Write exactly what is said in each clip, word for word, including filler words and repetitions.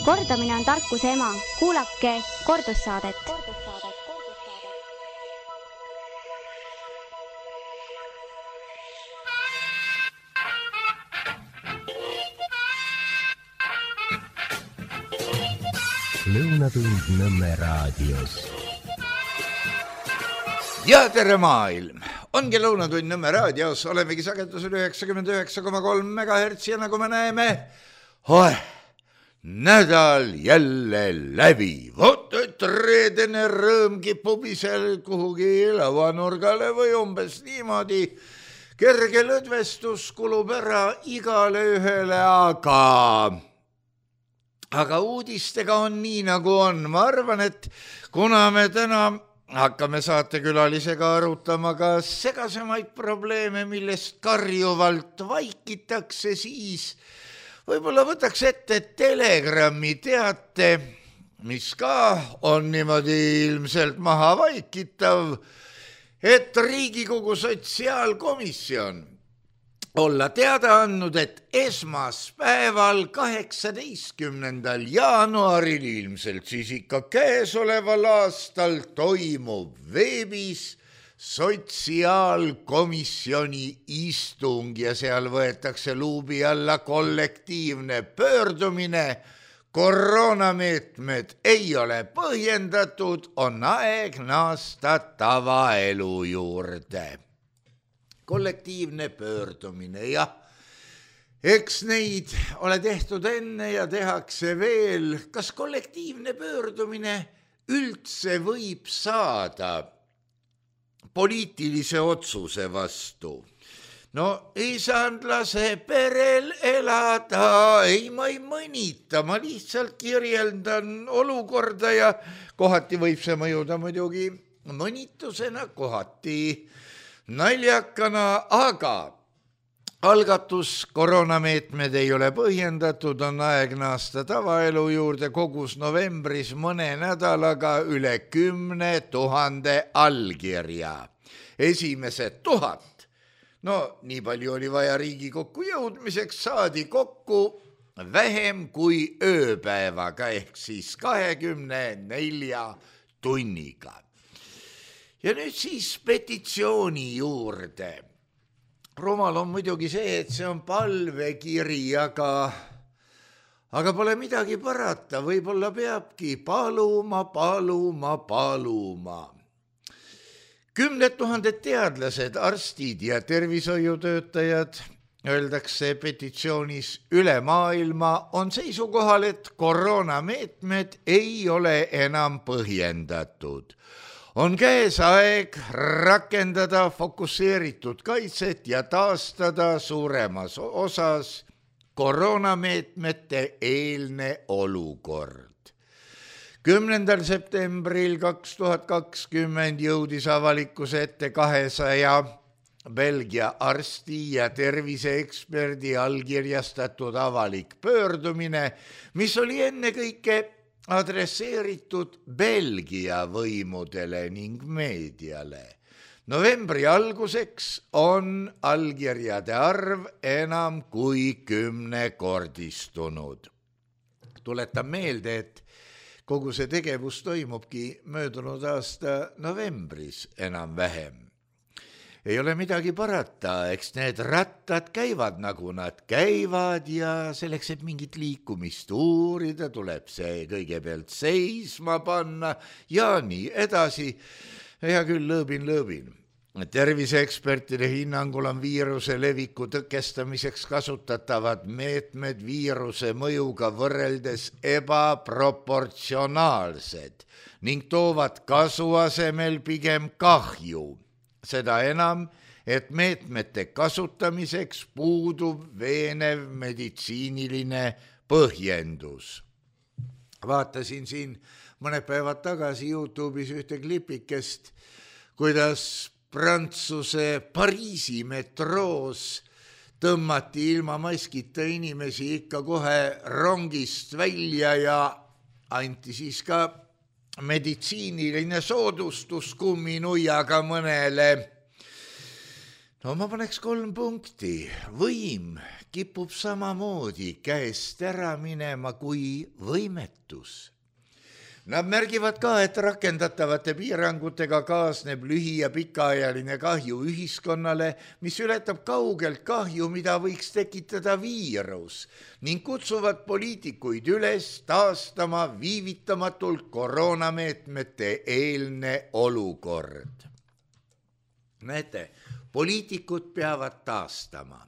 Kordamine on tarkuse ema. Kuulake kordussaadet. Lõunatund Nõmme raadios. Ja tere maailm! Ongi Lõunatund Nõmme raadios. Olemegi sagedusel üheksakümmend üheksa koma kolm megahertsi ja nagu me näeme, oh, nädal jälle läbi. Vot, et reedene rõõm kipub ise kuhugi lavanurgale või umbes niimoodi. Kerge lõdvestus kulub ära igale ühele, aga... Aga uudistega on nii nagu on. Ma arvan, et kuna me täna hakkame saatekülalisega arutama ka segasemaid probleeme, millest karjuvalt vaikitakse, siis võib-olla võtaks ette Telegrami teate, mis ka on niimoodi ilmselt maha vaikitav, et Riigikogu sotsiaalkomisjon olla teada andnud, et esmaspäeval kaheksateistkümnendal jaanuaril ilmselt siis ikka käesoleval aastal toimub veebis sotsiaalkomisjoni istung ja seal võetakse luubi alla kollektiivne pöördumine. Koroonameetmed ei ole põhjendatud, on aeg naasta tavaelu juurde. Kollektiivne pöördumine, jah. Eks neid ole tehtud enne ja tehakse veel. Kas kollektiivne pöördumine üldse võib saada poliitilise otsuse vastu? No ei saanud lase perel elada, ei ma ei mõnita, ma lihtsalt kirjeldan olukorda ja kohati võib see mõjuda muidugi mõnitusena, kohati naljakana, aga algatus koroonameetmed ei ole põhjendatud, on aeg naasta tavaelu juurde, kogus novembris mõne nädalaga üle kümne tuhande allkirja. Esimesed tuhat, no nii palju oli vaja Riigikokku jõudmiseks, saadi kokku vähem kui ööpäevaga ehk siis kahekümne nelja tunniga. Ja nüüd siis petitsiooni juurde. Rumal on muidugi see, et see on palvekiri, aga, aga pole midagi parata. Võib-olla peabki paluma, paluma, paluma. Kümned tuhanded teadlased, arstid ja tervishoiutöötajad, öeldakse petitsioonis üle maailma, on seisukohal, et koroonameetmed ei ole enam põhjendatud. On käes aeg rakendada fokusseeritud kaitset ja taastada suuremas osas koroonameetmete eelne olukord. kümnendal septembril kaks tuhat kakskümmend jõudis avalikkuse ette kahesaja Belgia arsti ja terviseeksperdi allkirjastatud avalik pöördumine, mis oli ennekõike adresseeritud Belgia võimudele ning meediale. Novembri alguseks on allkirjade arv enam kui kümnekordistunud. Tuletan meelde, et kogu see tegevus toimubki möödunud aasta novembris enam vähem. Ei ole midagi parata, eks need rattad käivad nagu nad käivad ja selleks, et mingit liikumist uurida, tuleb see kõigepealt seisma panna ja nii edasi. Hea küll, lõõbin, lõõbin. Terviseekspertide hinnangul on viiruse leviku tõkestamiseks kasutatavad meetmed viiruse mõjuga võrreldes ebaproportsionaalsed ning toovad kasu asemel pigem kahju. Seda enam, et meetmete kasutamiseks puudub veenev meditsiiniline põhjendus. Vaatasin siin mõned päevad tagasi YouTube'is ühte klipikest, kuidas Prantsuse Pariisi metroos tõmmati ilma maskita inimesi ikka kohe rongist välja ja anti siis ka meditsiiniline soodustus kumminuiaga mõnele. no ma paneks kolm punkti. Võim kipub samamoodi käest ära minema kui võimetus. Nad märgivad ka, et rakendatavate piirangutega kaasneb lühi- ja pikaajaline kahju ühiskonnale, mis ületab kaugelt kahju, mida võiks tekitada viirus, ning kutsuvad poliitikuid üles taastama viivitamatult koroonameetmete eelne olukord. Näete, poliitikud peavad taastama.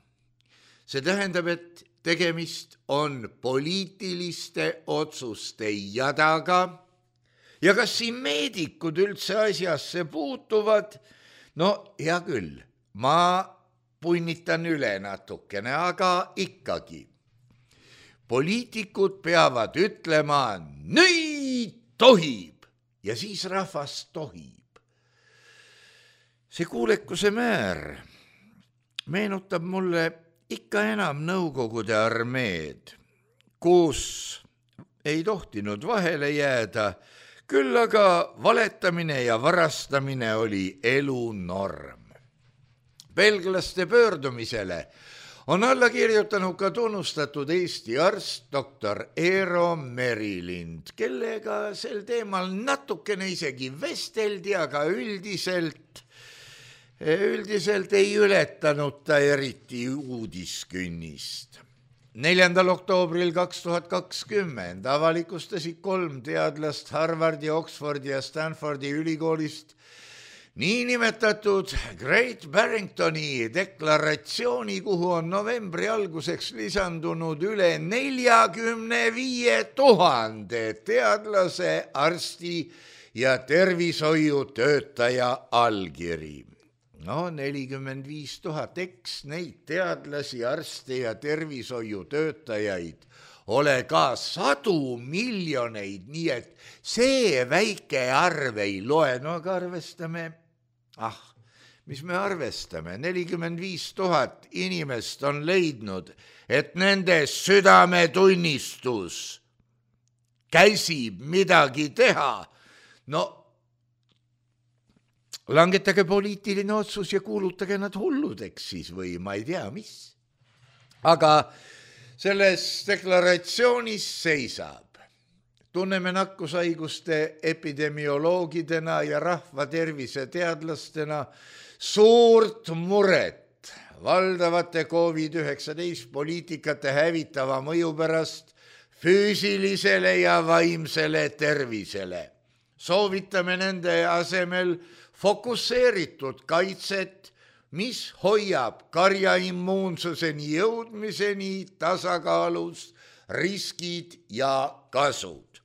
See tähendab, et tegemist on poliitiliste otsuste jadaga. Ja kas siin meedikud üldse asjasse puutuvad? No hea küll, ma punnitan üle natukene, aga ikkagi. Poliitikud peavad ütlema, nüüd tohib, ja siis rahvas tohib. See kuulekuse määr meenutab mulle ikka enam Nõukogude armeed, kus ei tohtinud vahele jääda, küll aga valetamine ja varastamine oli elu norm. Belglaste pöördumisele on alla kirjutanud ka tunnustatud Eesti arst doktor Eero Merilind, kellega sel teemal natukene isegi vesteldi, aga üldiselt, üldiselt ei ületanud ta eriti uudiskünnist. neljandal oktoobril kaks tuhat kakskümmend avalikustasid kolm teadlast Harvardi, Oxfordi ja Stanfordi ülikoolist niinimetatud Great Barringtoni deklaratsiooni, kuhu on novembri alguseks lisandunud üle neljakümne viie tuhande teadlase, arsti ja tervishoiutöötaja allkiri. No nelikümmend viis tuhat, eks neid teadlasi, arste ja tervishoiutöötajaid ole ka sadu miljoneid, nii et see väike arv ei loe. No aga arvestame, ah, mis me arvestame, nelikümmend viis tuhat inimest on leidnud, et nende südametunnistus käsib midagi teha. No langetage poliitiline otsus ja kuulutage nad hulludeks siis või ma ei tea mis. Aga selles deklaratsioonis seisab. Tunneme nakkushaiguste epidemioloogidena ja rahvatervise teadlastena suurt muret valdavate koovid üheksateist poliitikate hävitava mõju pärast füüsilisele ja vaimsele tervisele. Soovitame nende asemel fokusseeritud kaitset, mis hoiab karja immuunsuseni jõudmiseni tasakaalus riskid ja kasud.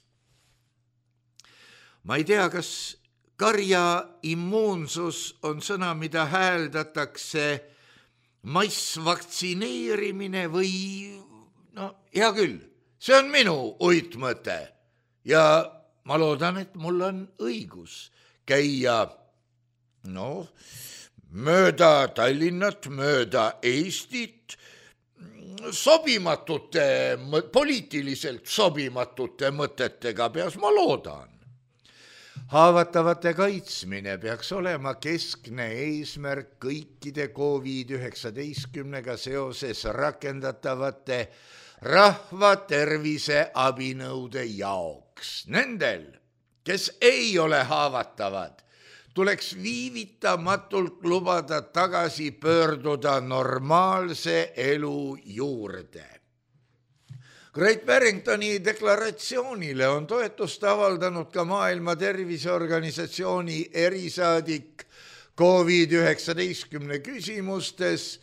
Ma ei tea, kas karja immuunsus on sõna, mida hääldatakse massvaktsineerimine või no hea küll, see on minu uitmõte ja ma loodan, et mul on õigus käia no, mööda Tallinnat, mööda Eestit, sobimatute, poliitiliselt sobimatute mõtetega peas, ma loodan. Haavatavate kaitsmine peaks olema keskne eesmärk kõikide koovid üheksateistkümnega seoses rakendatavate rahva tervise abinõude jaoks. Nendel, kes ei ole haavatavad, tuleks viivitamatult lubada tagasi pöörduda normaalse elu juurde. Great Barringtoni deklaratsioonile on toetust avaldanud ka Maailma Terviseorganisatsiooni erisaadik koovid üheksateistkümne küsimustes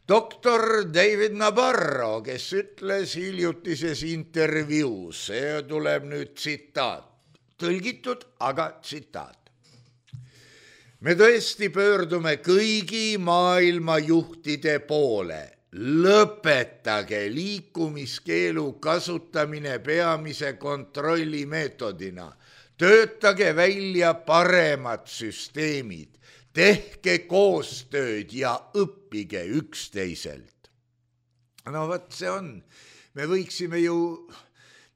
doktor David Nabarro, kes ütles hiljutises intervjuus, see tuleb nüüd tsitaat, tõlgitud, aga tsitaat. Me tõesti pöördume kõigi maailma juhtide poole. Lõpetage liikumiskeelu kasutamine peamise kontrolli meetodina. Töötage välja paremad süsteemid. Tehke koostööd ja õppige üksteiselt. No võt see on. Me võiksime ju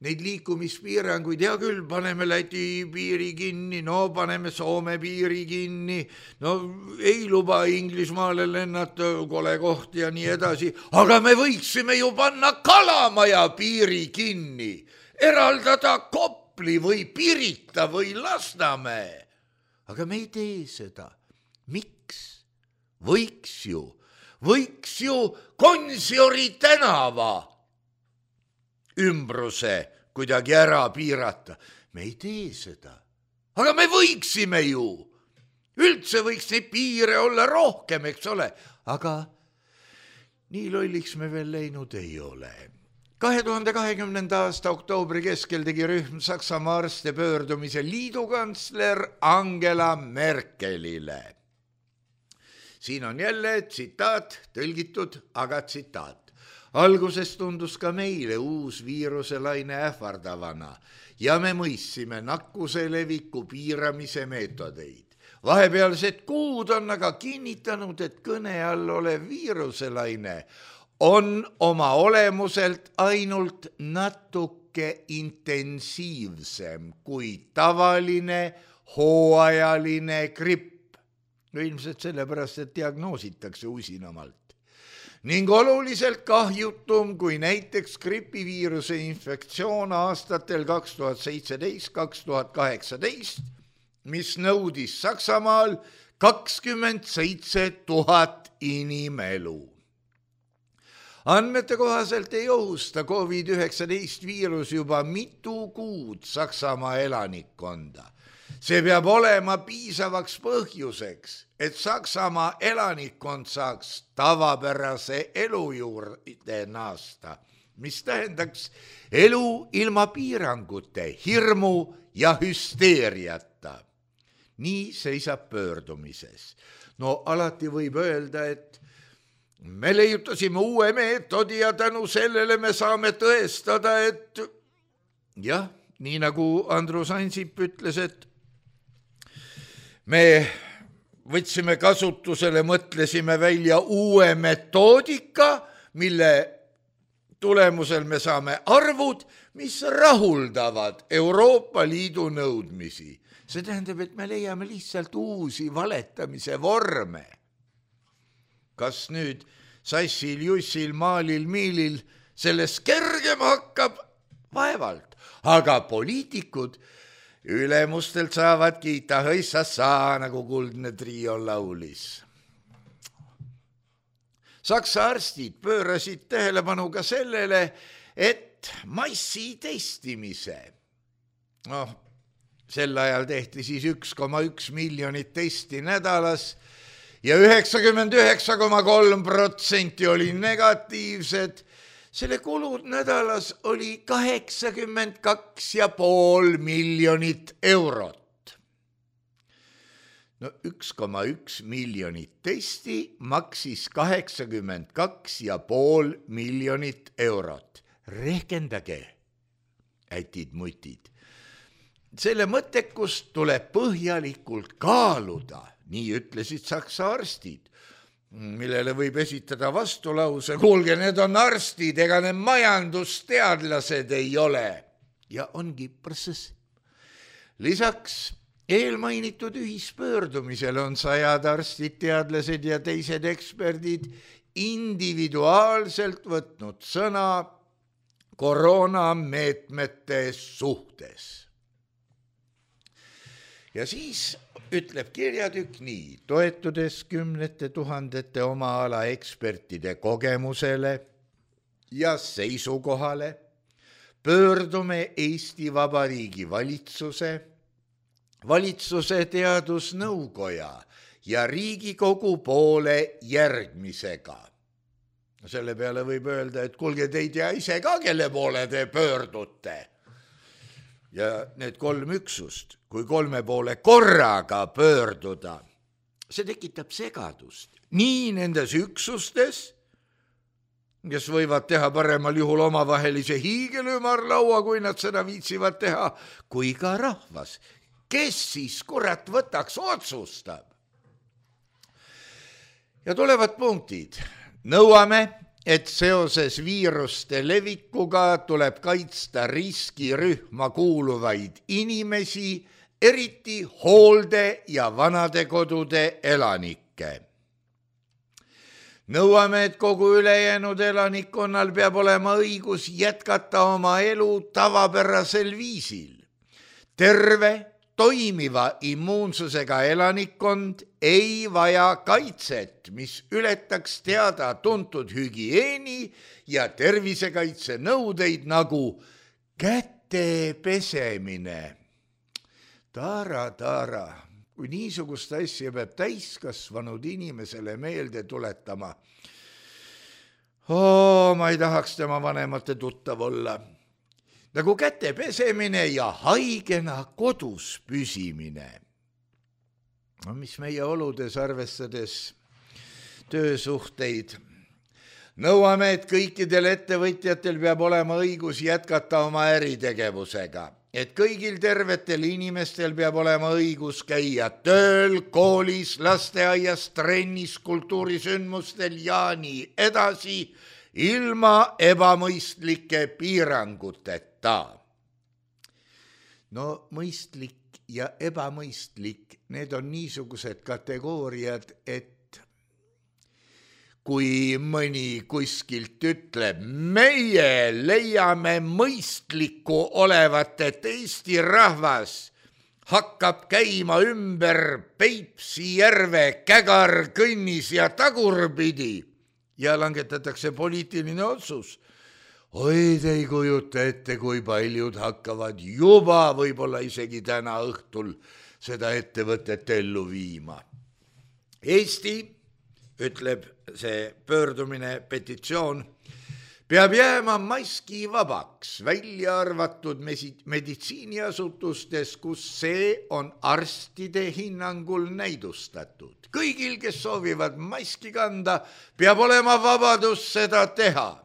neid liikumispiiranguid, hea küll, paneme Läti piiri kinni, no paneme Soome piiri kinni, no ei luba Inglismaale lennata, kole koht ja nii edasi, aga me võiksime ju panna Kalamaja piiri kinni, eraldada Kopli või Pirita või Lasnamäe. Aga me ei tee seda. Miks? Võiks ju, võiks ju Gonsiori tänava ümbruse kuidagi ära piirata. Me ei tee seda. Aga me võiksime ju. Üldse võiks neid piire olla rohkem, eks ole. Aga nii lolliks me veel läinud ei ole. kahe tuhande kahekümnenda aasta oktoobri keskel tegi rühm Saksamaa arste pöördumise liidukantsler Angela Merkelile. Siin on jälle tsitaat, tõlgitud, aga tsitaat. Alguses tundus ka meile uus viiruselaine ähvardavana ja me mõissime nakkuse leviku piiramise meetodeid. Vahepealsed kuud on aga kinnitanud, et kõne all olev viiruselaine on oma olemuselt ainult natuke intensiivsem kui tavaline hooajaline gripp. No ilmselt sellepärast, et diagnoositakse usinamalt. Ning oluliselt kahjutum kui näiteks gripiviiruse infektsioon aastatel kaks tuhat seitseteist kaks tuhat kaheksateist, mis nõudis Saksamaal kakskümmend seitse tuhat inimelu. Andmete kohaselt ei ohusta covid üheksateist viirus juba mitu kuud Saksamaa elanikkonda. See peab olema piisavaks põhjuseks, et Saksamaa elanikkond saaks tavapärase elu juurde naasta, mis tähendaks elu ilma piirangute, hirmu ja hüsteeriata. Nii seisab pöördumises. No alati võib öelda, et me leiutasime uue meetodi ja tänu sellele me saame tõestada, et jah, nii nagu Andrus Ansip ütles, et me võtsime kasutusele, mõtlesime välja uue metoodika, mille tulemusel me saame arvud, mis rahuldavad Euroopa Liidu nõudmisi. See tähendab, et me leiame lihtsalt uusi valetamise vorme. Kas nüüd Sassil, Jussil, Maalil, Miilil sellest kergem hakkab? Vaevalt. Aga poliitikud ülemustelt saavad kiita hõissassa, nagu Kuldne Trio laulis. Saksa arstid pöörasid tähelepanu ka sellele, et massi testimise, noh, sel ajal tehti siis üks koma üks miljonit testi nädalas ja üheksakümmend üheksa koma kolm protsenti oli negatiivsed. Selle kulud nädalas oli kaheksakümmend kaks ja pool miljonit eurot. No üks koma üks miljonit testi maksis kaheksakümmend kaks ja pool miljonit eurot. Rehkendage, ätid-mutid. Selle mõttekust tuleb põhjalikult kaaluda, nii ütlesid Saksa arstid, millele võib esitada vastulause, kuulge, need on arstid, ega need majandusteadlased ei ole. Ja ongi protsess. Lisaks eelmainitud ühispöördumisel on sajad arstid, teadlased ja teised eksperdid individuaalselt võtnud sõna koroonameetmete suhtes. Ja siis ütleb kirjatükk nii, toetudes kümnete tuhandete oma ala ekspertide kogemusele ja seisukohale, pöördume Eesti Vabariigi valitsuse, valitsuse teadusnõukoja ja Riigikogu poole järgmisega. Selle peale võib öelda, et kuulge, te ei tea ise ka, kelle poole te pöördute. Ja need kolm üksust, kui kolme poole korraga pöörduda, see tekitab segadust. Nii nendes üksustes, kes võivad teha paremal juhul omavahelise hiigelümarlaua, kui nad seda viitsivad teha, kui ka rahvas. Kes siis kurat võtaks otsustab? Ja tulevad punktid. Nõuame et seoses viiruste levikuga tuleb kaitsta riskirühma kuuluvaid inimesi, eriti hoolde- ja vanadekodude elanikke. Nõuame, et kogu ülejäänud elanikkonnal peab olema õigus jätkata oma elu tavapärasel viisil. Terve, toimiva immuunsusega elanikkond ei vaja kaitset, mis ületaks teada tuntud hügieeni ja tervisekaitse nõudeid nagu käte pesemine. Tara, tara, kui niisugust asja peab täiskasvanud inimesele meelde tuletama. Oo, ma ei tahaks tema vanemate tuttav olla. Nagu käte pesemine ja haigena kodus püsimine. No, mis meie oludes arvestades töösuhteid. Nõuame, et kõikidel ettevõtjatel peab olema õigus jätkata oma äritegevusega. Et kõigil tervetel inimestel peab olema õigus käia tööl, koolis, lasteaias, trennis, kultuurisündmustel ja nii edasi, ilma ebamõistlike piiranguteta. No mõistlik ja ebamõistlik, need on niisugused kategooriad, et kui mõni kuskilt ütleb, meie leiame mõistlikku olevat, et Eesti rahvas hakkab käima ümber Peipsi järve Kägar, Kõnnis ja tagurpidi ja langetatakse poliitiline otsus. Oi, te ei kujuta ette, kui paljud hakkavad juba võib-olla isegi täna õhtul seda ettevõtet ellu viima. Eesti, ütleb see pöördumine, petitsioon, peab jääma maski vabaks, välja arvatud meditsiiniasutustes, kus see on arstide hinnangul näidustatud. Kõigil, kes soovivad maski kanda, peab olema vabadus seda teha.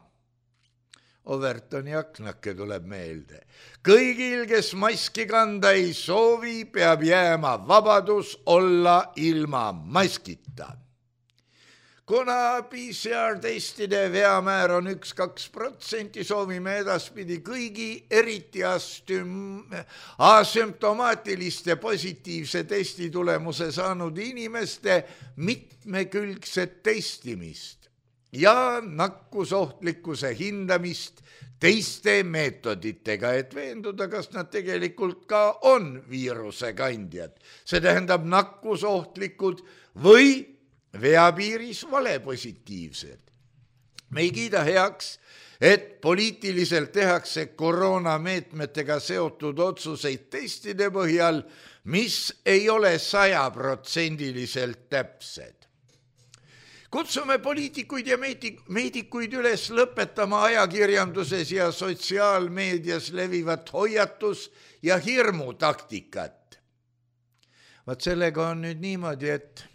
Overtoni aknake tuleb meelde. Kõigil, kes maski kanda ei soovi, peab jääma vabadus olla ilma maskita. Kuna P C R-testide veamäär on üks kuni kaks protsenti, soovime edaspidi kõigi eriti astüm- asümptomaatiliste positiivse testi tulemuse saanud inimeste mitmekülgset testimist ja nakkusohtlikkuse hindamist teiste meetoditega, et veenduda, kas nad tegelikult ka on viiruse kandjad. See tähendab nakkusohtlikud või veapiiris valepositiivsed. Me ei kiida heaks, et poliitiliselt tehakse koroonameetmetega seotud otsuseid testide põhjal, mis ei ole sajaprotsendiliselt täpsed. Kutsume poliitikuid ja meedikuid üles lõpetama ajakirjanduses ja sotsiaalmeedias levivat hoiatus ja hirmutaktikat. Vaat sellega on nüüd niimoodi, et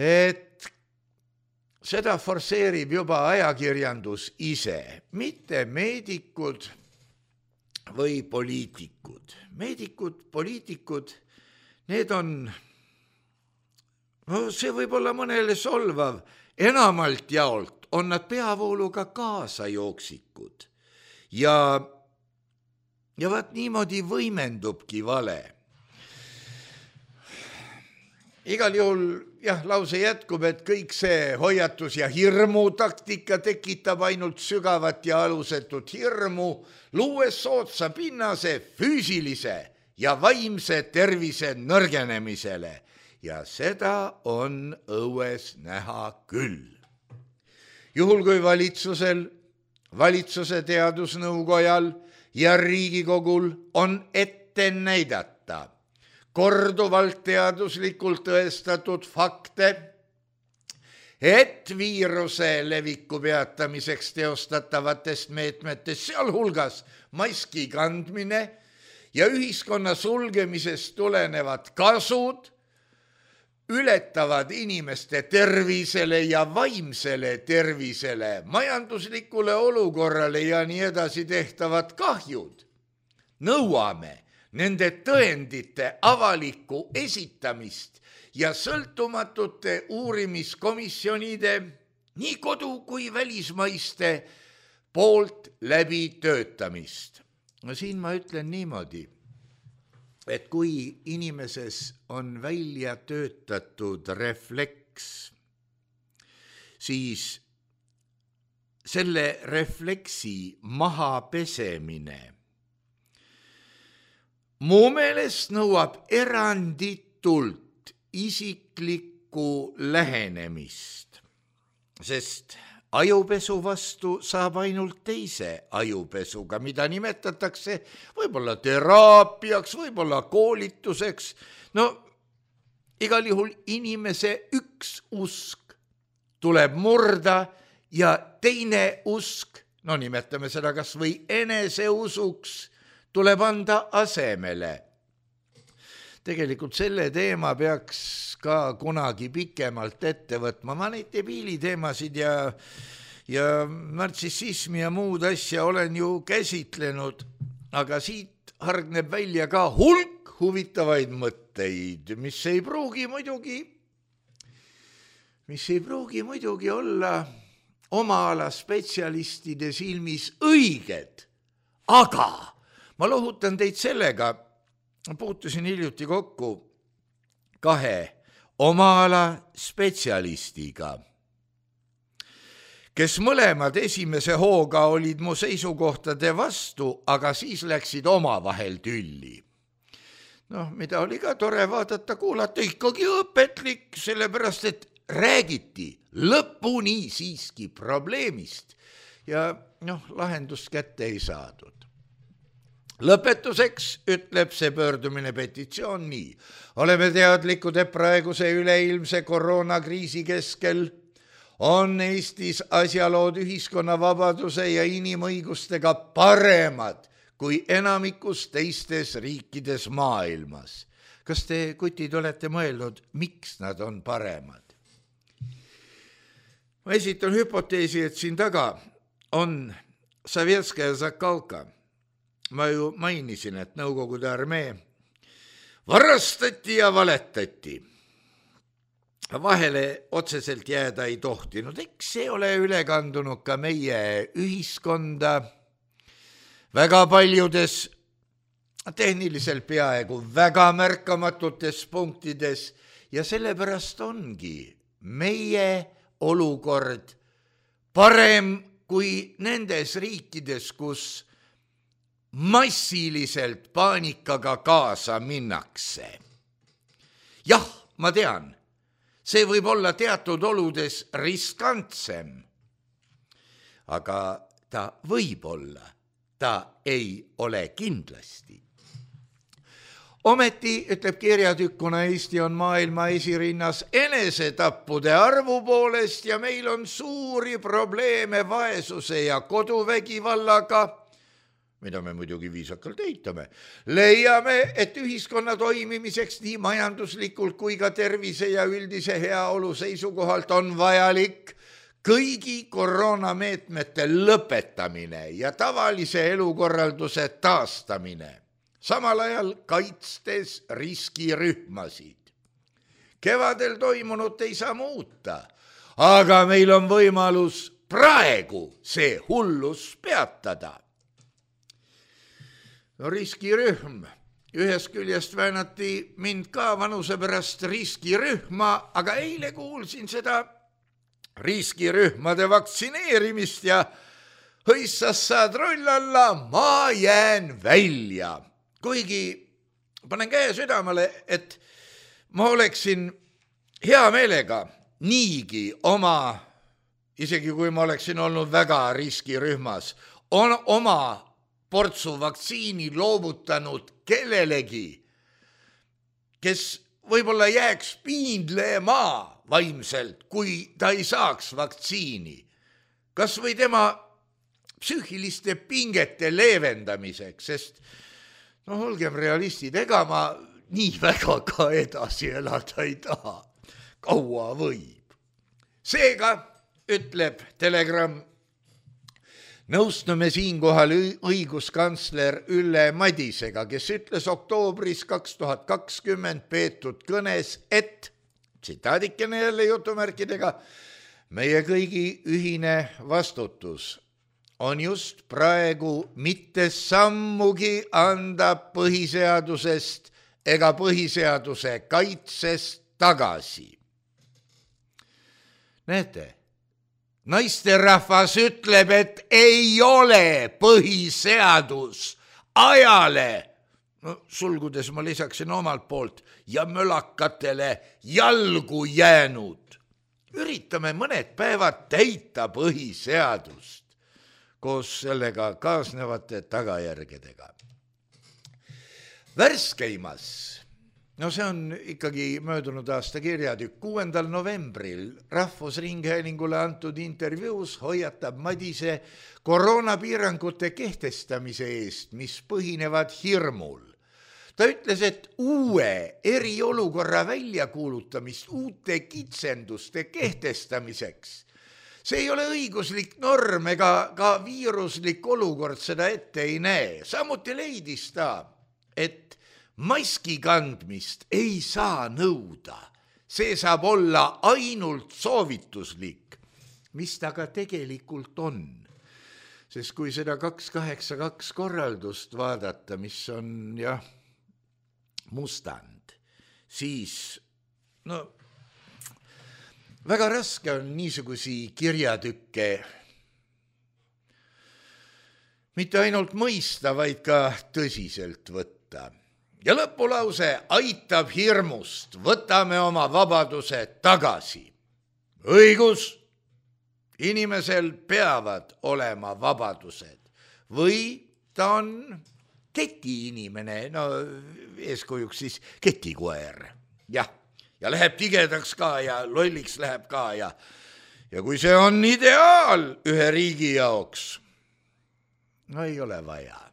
et seda forseerib juba ajakirjandus ise, mitte meedikud või poliitikud. Meedikud, poliitikud, need on, no see võib olla mõnele solvav, enamalt jaolt on nad peavooluga kaasa jooksikud ja, ja vaat niimoodi võimendubki vale. Igal juhul jah, lause jätkub, et kõik see hoiatus ja hirmu taktika tekitab ainult sügavat ja alusetut hirmu, luues soodsa pinnase füüsilise ja vaimse tervise nõrgenemisele ja seda on õues näha küll. Juhul kui valitsusel, valitsuse teadusnõukojal ja Riigikogul on ette näidata korduvalt teaduslikult tõestatud fakte, et viiruse leviku peatamiseks teostatavatest meetmetest, sealhulgas maski kandmine ja ühiskonna sulgemisest tulenevad kasud, ületavad inimeste tervisele ja vaimsele tervisele, majanduslikule olukorrale ja nii edasi tehtavad kahjud. Nõuame nende tõendite avalikku esitamist ja sõltumatute uurimiskomisjonide nii kodu kui välismaiste poolt läbi töötamist. No siin ma ütlen niimoodi, et kui inimeses on välja töötatud refleks, siis selle refleksi maha pesemine mu meelest nõuab eranditult isiklikku lähenemist, sest ajupesu vastu saab ainult teise ajupesuga, mida nimetatakse võib-olla teraapiaks, võib-olla koolituseks. No igal juhul inimese üks usk tuleb murda ja teine usk, no nimetame seda kas või eneseusuks, tuleb anda asemele. Tegelikult selle teema peaks ka kunagi pikemalt ette võtma. Ma neid debiili teemasid ja, ja nartsissismi ja muud asja olen ju käsitlenud, aga siit hargneb välja ka hulk huvitavaid mõtteid, mis ei pruugi muidugi, mis ei pruugi muidugi olla oma ala spetsialistide silmis õiged, aga ma lohutan teid sellega, puutusin hiljuti kokku kahe oma ala spetsialistiga, kes mõlemad esimese hooga olid mu seisukohtade vastu, aga siis läksid omavahel tülli. Noh, mida oli ka tore vaadata, kuulata, ikkagi õpetlik, sellepärast et räägiti lõpuni siiski probleemist ja noh, lahendust kätte ei saadud. Lõpetuseks ütleb see pöördumine petitsioon nii. Oleme teadlikud, et praeguse üleilmse koroonakriisi keskel on Eestis asjalood ühiskonna vabaduse ja inimõigustega paremad kui enamikus teistes riikides maailmas. Kas te, kutid, olete mõelnud, miks nad on paremad? Ma esitan hüpoteesi, et siin taga on Sovetskaja Zakhalka. Ma ju mainisin, et Nõukogude armee varastati ja valetati. Vahele otseselt jääda ei tohtinud. Eks see ole üle kandunud ka meie ühiskonda väga paljudes tehniliselt peaaegu väga märkamatutes punktides ja sellepärast ongi meie olukord parem kui nendes riikides, kus massiliselt paanikaga kaasa minnakse. Jah, ma tean, see võib olla teatud oludes riskantsem, aga ta võib olla, ta ei ole kindlasti. Ometi, ütleb kirjatükkuna, Eesti on maailma esirinnas enesetappude arvu poolest ja meil on suuri probleeme vaesuse ja koduvägivallaga, mida me muidugi viisakalt eitame. Leiame, et ühiskonna toimimiseks nii majanduslikult kui ka tervise ja üldise heaolu seisukohalt on vajalik kõigi koroonameetmete lõpetamine ja tavalise elukorralduse taastamine, samal ajal kaitstes riskirühmasid. Kevadel toimunut ei saa muuta, aga meil on võimalus praegu see hullus peatada. No riskirühm, ühest küljest väänati mind ka vanuse pärast riskirühma, aga eile kuulsin seda riskirühmade vaktsineerimist ja hõissas saad roll alla, ma jään välja. Kuigi panen käe südamele, et ma oleksin hea meelega niigi oma, isegi kui ma oleksin olnud väga riskirühmas, on oma portsu vaktsiini loovutanud kellelegi, kes võib-olla jääks piindlema vaimselt, kui ta ei saaks vaktsiini. Kas või tema psüühiliste pingete leevendamiseks, sest no olgem realistid, ega ma nii väga ka edasi elada ei taha. Kaua võib. Seega, ütleb Telegram, nõustume siinkohal õiguskantsler Ülle Madisega, kes ütles oktoobris kaks tuhat kakskümmend peetud kõnes, et, tsitaadikene jälle jutumärkidega, meie kõigi ühine vastutus on just praegu mitte sammugi anda põhiseadusest ega põhiseaduse kaitsest tagasi. Näete, naisterahvas ütleb, et ei ole põhiseadus ajale, no sulgudes ma lisaksin omalt poolt, ja mölakatele jalgu jäänud. Üritame mõned päevad täita põhiseadust koos sellega kaasnevate tagajärgedega. Värskeimas, no see on ikkagi möödunud aasta kirjatükk, kuuendal novembril Rahvusringhäälingule antud intervjuus hoiatab Madise koroonapiirangute kehtestamise eest, mis põhinevad hirmul. Ta ütles, et uue eriolukorra väljakuulutamist uute kitsenduste kehtestamiseks. See ei ole õiguslik norm ega ka viiruslik olukord seda ette ei näe. Samuti leidis ta, et maski kandmist ei saa nõuda. See saab olla ainult soovituslik, mis ta ka tegelikult on. Sest kui seda kaks kaheksa kaks korraldust vaadata, mis on jah, mustand, siis no väga raske on niisugusi kirjatükke mitte ainult mõista, vaid ka tõsiselt võtta. Ja lõpulause aitab hirmust, võtame oma vabaduse tagasi. Õigus, inimesel peavad olema vabadused või ta on ketiinimene, no eeskujuks siis ketikoer, jah, ja läheb tigedaks ka ja lolliks läheb ka ja, ja kui see on ideaal ühe riigi jaoks, no ei ole vaja.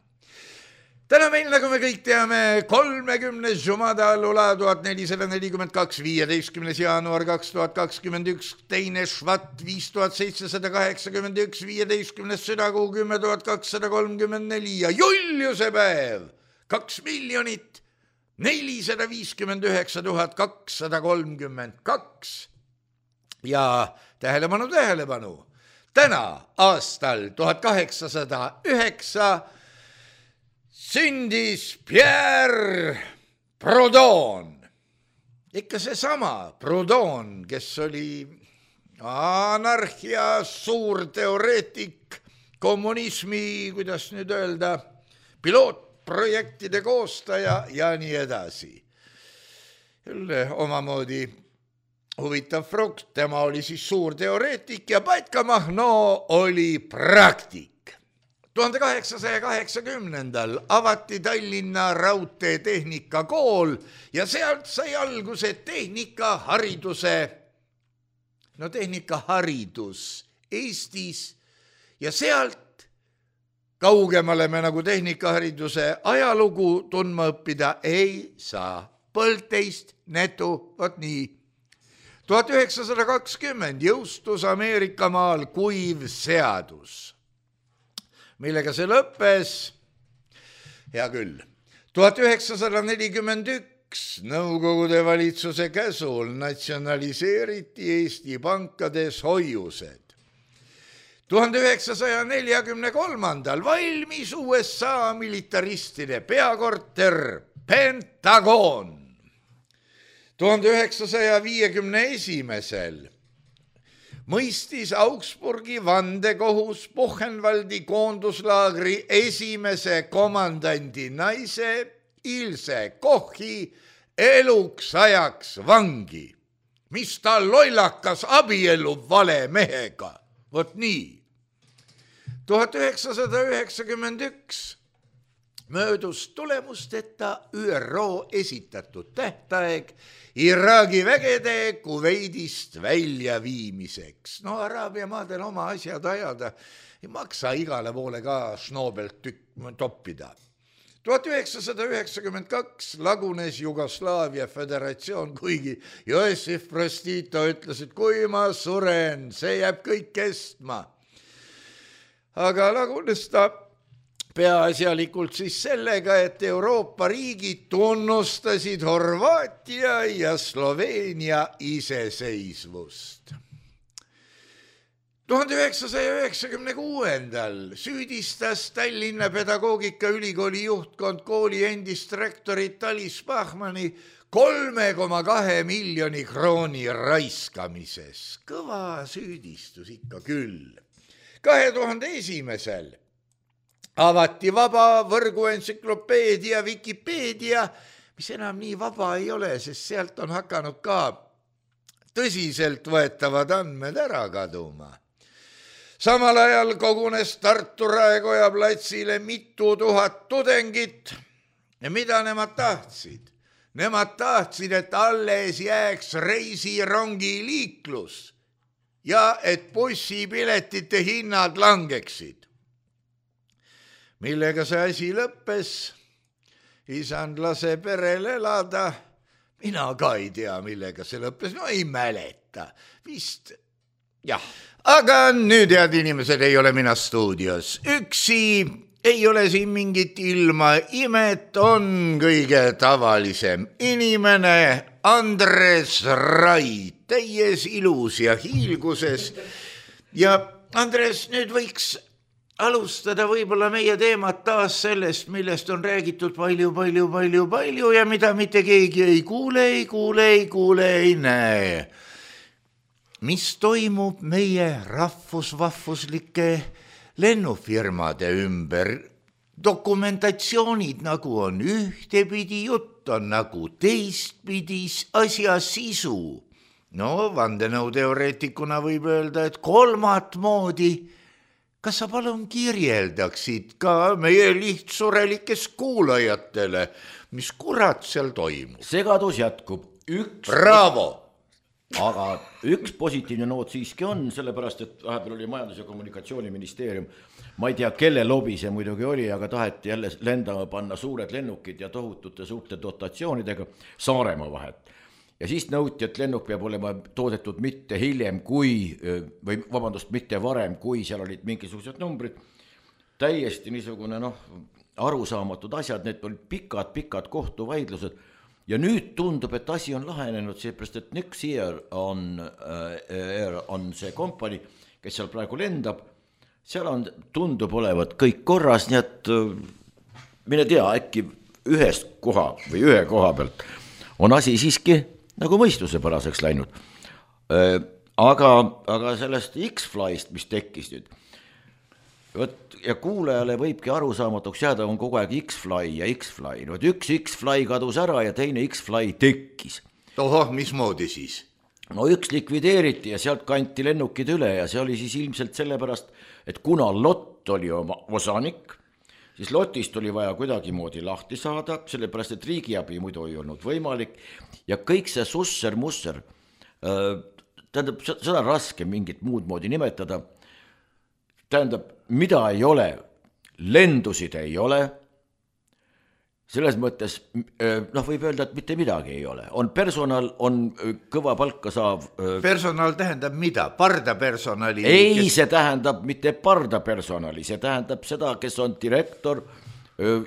Täna meil, nagu me kõik teame, kolmekümnes Jumada Lula tuhat nelisada nelikümmend kaks, viieteistkümnes jaanuar kaks tuhat kakskümmend üks, teine Švat viis tuhat seitsesada kaheksakümmend üks, viieteistkümnes südakuu kümme tuhat kakssada kolmkümmend neli ja Juliuse päev kaks miljonit nelisada viiskümmend üheksa tuhat kakssada kolmkümmend kaks ja tähelepanu, tähelepanu, täna aastal tuhat kaheksasada üheksa sündis Pierre Proudhon. Ikka seesama Proudhon, kes oli anarhia suur teoreetik, kommunismi, kuidas nüüd öelda, pilootprojektide koostaja ja nii edasi. Jälle omamoodi huvitav frukt, tema oli siis suur teoreetik ja Batka Mahno oli praktik. tuhande kaheksasaja kaheksakümnendal avati Tallinna raudteetehnika kool ja sealt sai alguse tehnikahariduse, no tehnikaharidus Eestis ja sealt kaugemale me nagu tehnikahariduse ajalugu tundma õppida ei saa. Põlteist netu, vot nii. tuhat üheksasada kakskümmend jõustus Ameerikamaal kuiv seadus, millega see lõppes, hea küll, tuhat üheksasada nelikümmend üks Nõukogude valitsuse käsul natsionaliseeriti Eesti pankades hoiused. tuhande üheksasaja neljakümne kolmandal valmis U S A militaristide peakorter Pentagon. tuhande üheksasaja viiekümne esimesel mõistis Augsburgi vandekohus Buchenwaldi koonduslaagri esimese komandandi naise Ilse Kochi eluks ajaks vangi, mis ta lollakas abiellub vale mehega. Vot nii. tuhat üheksasada üheksakümmend üks möödus tulemusteta Ü R O esitatud tähtaeg Iraagi vägede Kuveidist väljaviimiseks. No Araabia maadel oma asjad ajada ei maksa igale poole ka šnoobelt tükk toppida. tuhat üheksasada üheksakümmend kaks lagunes Jugoslaavia föderatsioon, kuigi Joosif Broz Tito ütles, et kui ma suren, see jääb kõik kestma. Aga lagunes ta peaasjalikult siis sellega, et Euroopa riigid tunnustasid Horvaatia ja Sloveenia iseseisvust. tuhande üheksasaja üheksakümne kuuendal süüdistas Tallinna Pedagoogikaülikooli juhtkond kooli endist rektorit Alice Bachmanni kolme koma kahe miljoni krooni raiskamises. Kõva süüdistus ikka küll. kahe tuhande esimesel avati vaba võrguentsüklopeedia Wikipeedia, mis enam nii vaba ei ole, sest sealt on hakanud ka tõsiselt võetavad andmed ära kaduma. Samal ajal kogunes Tartu Raekoja platsile mitu tuhat tudengit ja mida nemad tahtsid? Nemad tahtsid, et alles jääks reisirongi liiklus ja et bussipiletite hinnad langeksid. Millega see asi lõppes? Isand lase perel elada. Mina ka ei tea, millega see lõppes. No ei mäleta. Vist, jah. Aga nüüd, head inimesed, ei ole mina stuudios. Üksi ei ole siin mingit ilma imet, on kõige tavalisem inimene Andres Rai, täies ilus ja hiilguses. Ja Andres, nüüd võiks alustada võib-olla meie teemat taas sellest, millest on räägitud palju, palju, palju, palju ja mida mitte keegi ei kuule, ei kuule, ei kuule, ei näe. Mis toimub meie rahvusvahvuslike lennufirmade ümber? Dokumentatsioonid nagu on ühtepidi, jutt on nagu teistpidi, asja sisu. No, vandenõuteoreetikuna võib öelda, et kolmat moodi. Kas sa palun kirjeldaksid ka meie lihtsurelikes kuulajatele, mis kurat seal toimub? Segadus jätkub. Üks... Bravo! Aga üks positiivne noot siiski on, sellepärast, et vahepeal oli Majandus- ja Kommunikatsiooniministeerium. Ma ei tea, kelle lobi see muidugi oli, aga taheti jälle lendama panna suured lennukid ja tohutute suurte dotatsioonidega Saaremaa vahet. Ja siis nõuti, et lennuk peab olema toodetud mitte hiljem kui, või vabandust, mitte varem, kui seal olid mingisugused numbrid. Täiesti niisugune noh, arusaamatud asjad, need olid pikad, pikad kohtuvaidlused. Ja nüüd tundub, et asi on lahenenud, seepärast, et Nyxier on, äh, on see kompani, kes seal praegu lendab. Seal on, tundub olevat kõik korras, nii et mine tea, äkki ühest koha või ühe koha pealt on asi siiski nagu mõistusepäraseks läinud. Aga, aga sellest X-Flyst, mis tekkis nüüd, võt, ja kuulajale võibki arusaamatuks jääda, on kogu aeg X-Fly ja X-Fly. No, üks X-Fly kadus ära ja teine X-Fly tekkis. Ohoh, mismoodi siis? No üks likvideeriti ja sealt kanti lennukid üle ja see oli siis ilmselt sellepärast, et kuna lott oli oma osanik, siis lotist oli vaja kuidagi moodi lahti saada, sellepärast, et riigiabi muidu ei olnud võimalik ja kõik see susser-musser, tähendab, seda on raske mingit muud moodi nimetada, tähendab, mida ei ole, lendusid ei ole, selles mõttes, noh, võib öelda, et mitte midagi ei ole. On personal, on kõva palka saav... Personal tähendab mida? Pardapersonali? Ei, kes... see tähendab mitte pardapersonali, see tähendab seda, kes on direktor,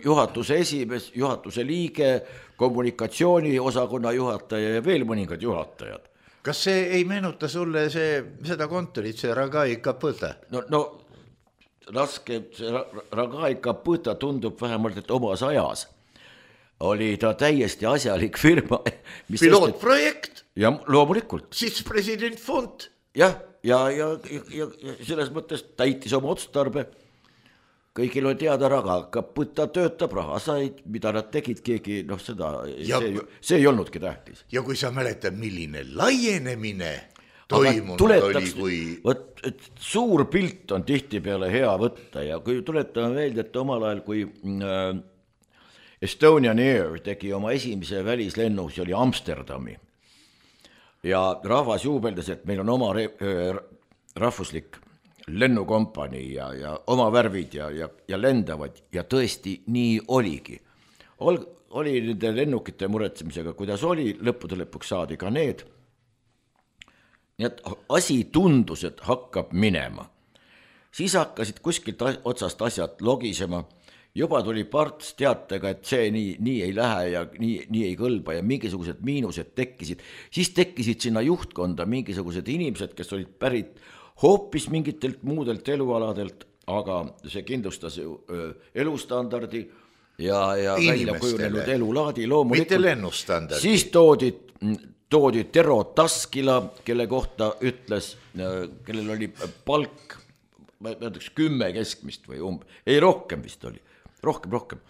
juhatuse esimees, juhatuse liige, kommunikatsiooni osakonna juhataja ja veel mõningad juhatajad. Kas see ei meenuta sulle see, seda kontorit, see Ragai Kapõta? No, no raske, see Ragai Kapõta tundub vähemalt, et omas ajas oli ta täiesti asjalik firma. Mis pilootprojekt? Ja loomulikult. Siis president fond? Jah, ja, ja, ja, ja selles mõttes täitis oma otstarbe. Kõigil on teada raga, Kapõta töötab, raha said, mida nad tegid, keegi, noh seda, ja, see, see ei olnudki tähtis. Ja kui sa mäletad, milline laienemine toimunud oli, kui... Võt, et suur pilt on tihti peale hea võtta ja kui tuletame meelde, et omal ajal, kui... Äh, Estonian Air tegi oma esimese välislennu, see oli Amsterdami. Ja rahvas juubeldas, et meil on oma rahvuslik lennukompanii ja, ja oma värvid ja, ja, ja lendavad ja tõesti nii oligi. Ol, oli nende lennukite muretsemisega, kuidas oli, lõppude lõpuks saadi ka need. Nii et asi tundus, et hakkab minema. Siis hakkasid kuskilt otsast asjad logisema. Juba tuli parts teatega, et see nii, nii ei lähe ja nii, nii ei kõlba ja mingisugused miinused tekkisid. Siis tekkisid sinna juhtkonda mingisugused inimesed, kes olid pärit hoopis mingitelt muudelt elualadelt, aga see kindlustas ju elustandardi ja, ja välja kujunenud elulaadi loomulikult. Mitte lennustandardi. Siis toodi, toodi Tero Taskila, kelle kohta ütles, kellel oli palk, ma ütleks kümme keskmist või umb, ei rohkem vist oli, rohkem, rohkem.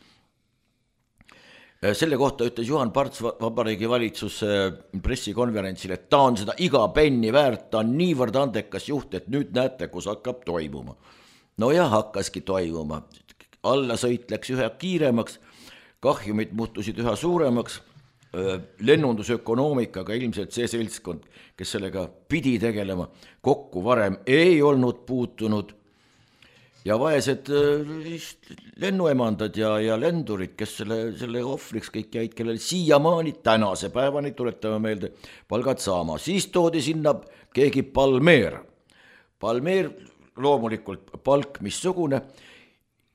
Selle kohta ütles Juhan Parts Vabariigi valitsuse pressikonverentsil, et ta on seda iga penni väärt, ta on niivõrd andekas juht, et nüüd näete, kus hakkab toimuma. No ja hakkaski toimuma. Allasõit läks ühe kiiremaks, kahjumid muutusid üha suuremaks, lennundusökonoomikaga ilmselt see seltskond, kes sellega pidi tegelema, kokku varem ei olnud puutunud. Ja vaesed lennuemandad ja, ja lendurid, kes selle, selle ohvriks kõik jäid, kellel siiamaani tänase päevani tuletame meelde palgad saama. Siis toodi sinna keegi Palmeer. Palmeer loomulikult palk missugune.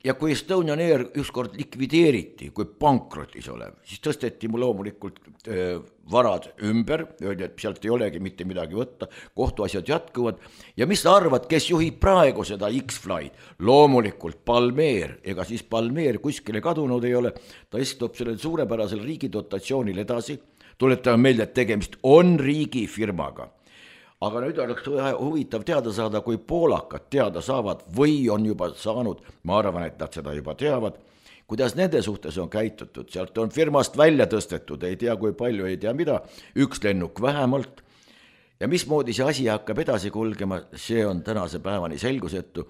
Ja kui Estonian Air ükskord likvideeriti, kui pankrotis olev, siis tõsteti mu loomulikult äh, varad ümber, öeldi, et sealt ei olegi mitte midagi võtta, kohtuasjad jätkuvad. Ja mis sa arvad, kes juhib praegu seda X-Flight? Loomulikult Palmeer, ega siis Palmeer kuskile kadunud ei ole, ta istub sellel suurepärasel riigi dotatsioonil edasi, tuletame meelde, et tegemist on riigifirmaga. Aga nüüd oleks huvitav teada saada, kui poolakad teada saavad või on juba saanud, ma arvan, et nad seda juba teavad, kuidas nende suhtes on käitutud. Sealt on firmast välja tõstetud, ei tea kui palju, ei tea mida, üks lennuk vähemalt. Ja mismoodi see asi hakkab edasi kulgema, see on tänase päevani selgusetu.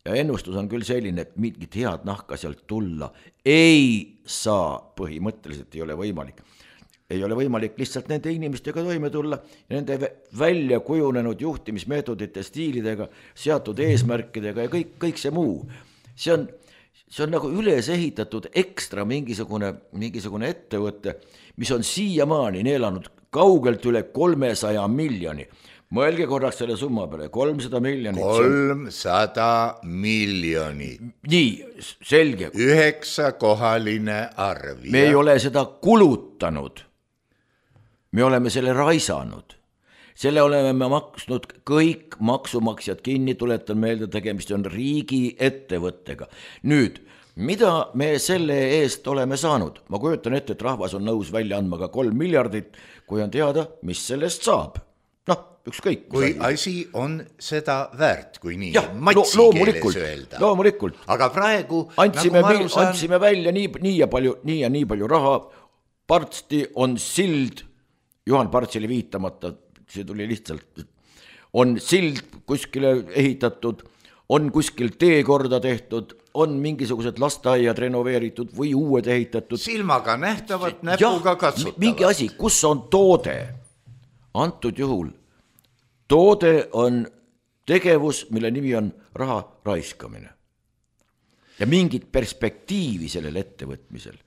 Ja ennustus on küll selline, et mingit head nahka sealt tulla ei saa, põhimõtteliselt ei ole võimalik. Ei ole võimalik lihtsalt nende inimestega toime tulla ja nende välja kujunenud juhtimismeetodite, stiilidega, seatud eesmärkidega ja kõik, kõik see muu. See on, see on nagu üles ehitatud ekstra mingisugune, mingisugune ettevõte, mis on siiamaani neelanud kaugelt üle kolmesaja miljoni. Mõelge korraks selle summa peale, kolmsada miljonit. kolmsada miljoni. Nii, selge. Üheksakohaline arv. Me ei ole seda kulutanud. Me oleme selle raisanud. Selle oleme me maksnud kõik maksumaksjad kinni, tuletan meelde, tegemist on riigi ettevõttega. Nüüd, mida me selle eest oleme saanud? Ma kujutan ette, et rahvas on nõus välja andma ka kolm miljardit, kui on teada, mis sellest saab. Noh, ükskõik. Kui asi on seda väärt, kui nii ja, matsi lo keeles öelda. Loomulikult. Aga praegu, andsime, nagu ma saan... andsime välja nii, nii, ja palju, nii ja nii palju raha. Partsti on sild, Juhan Partsile viitamata, see tuli lihtsalt, on sild kuskile ehitatud, on kuskil teekorda tehtud, on mingisugused lasteaiad renoveeritud või uued ehitatud. Silmaga nähtavad, näpuga katsutavad. Mingi asi, kus on toode? Antud juhul toode on tegevus, mille nimi on raha raiskamine. Ja mingit perspektiivi sellel ettevõtmisel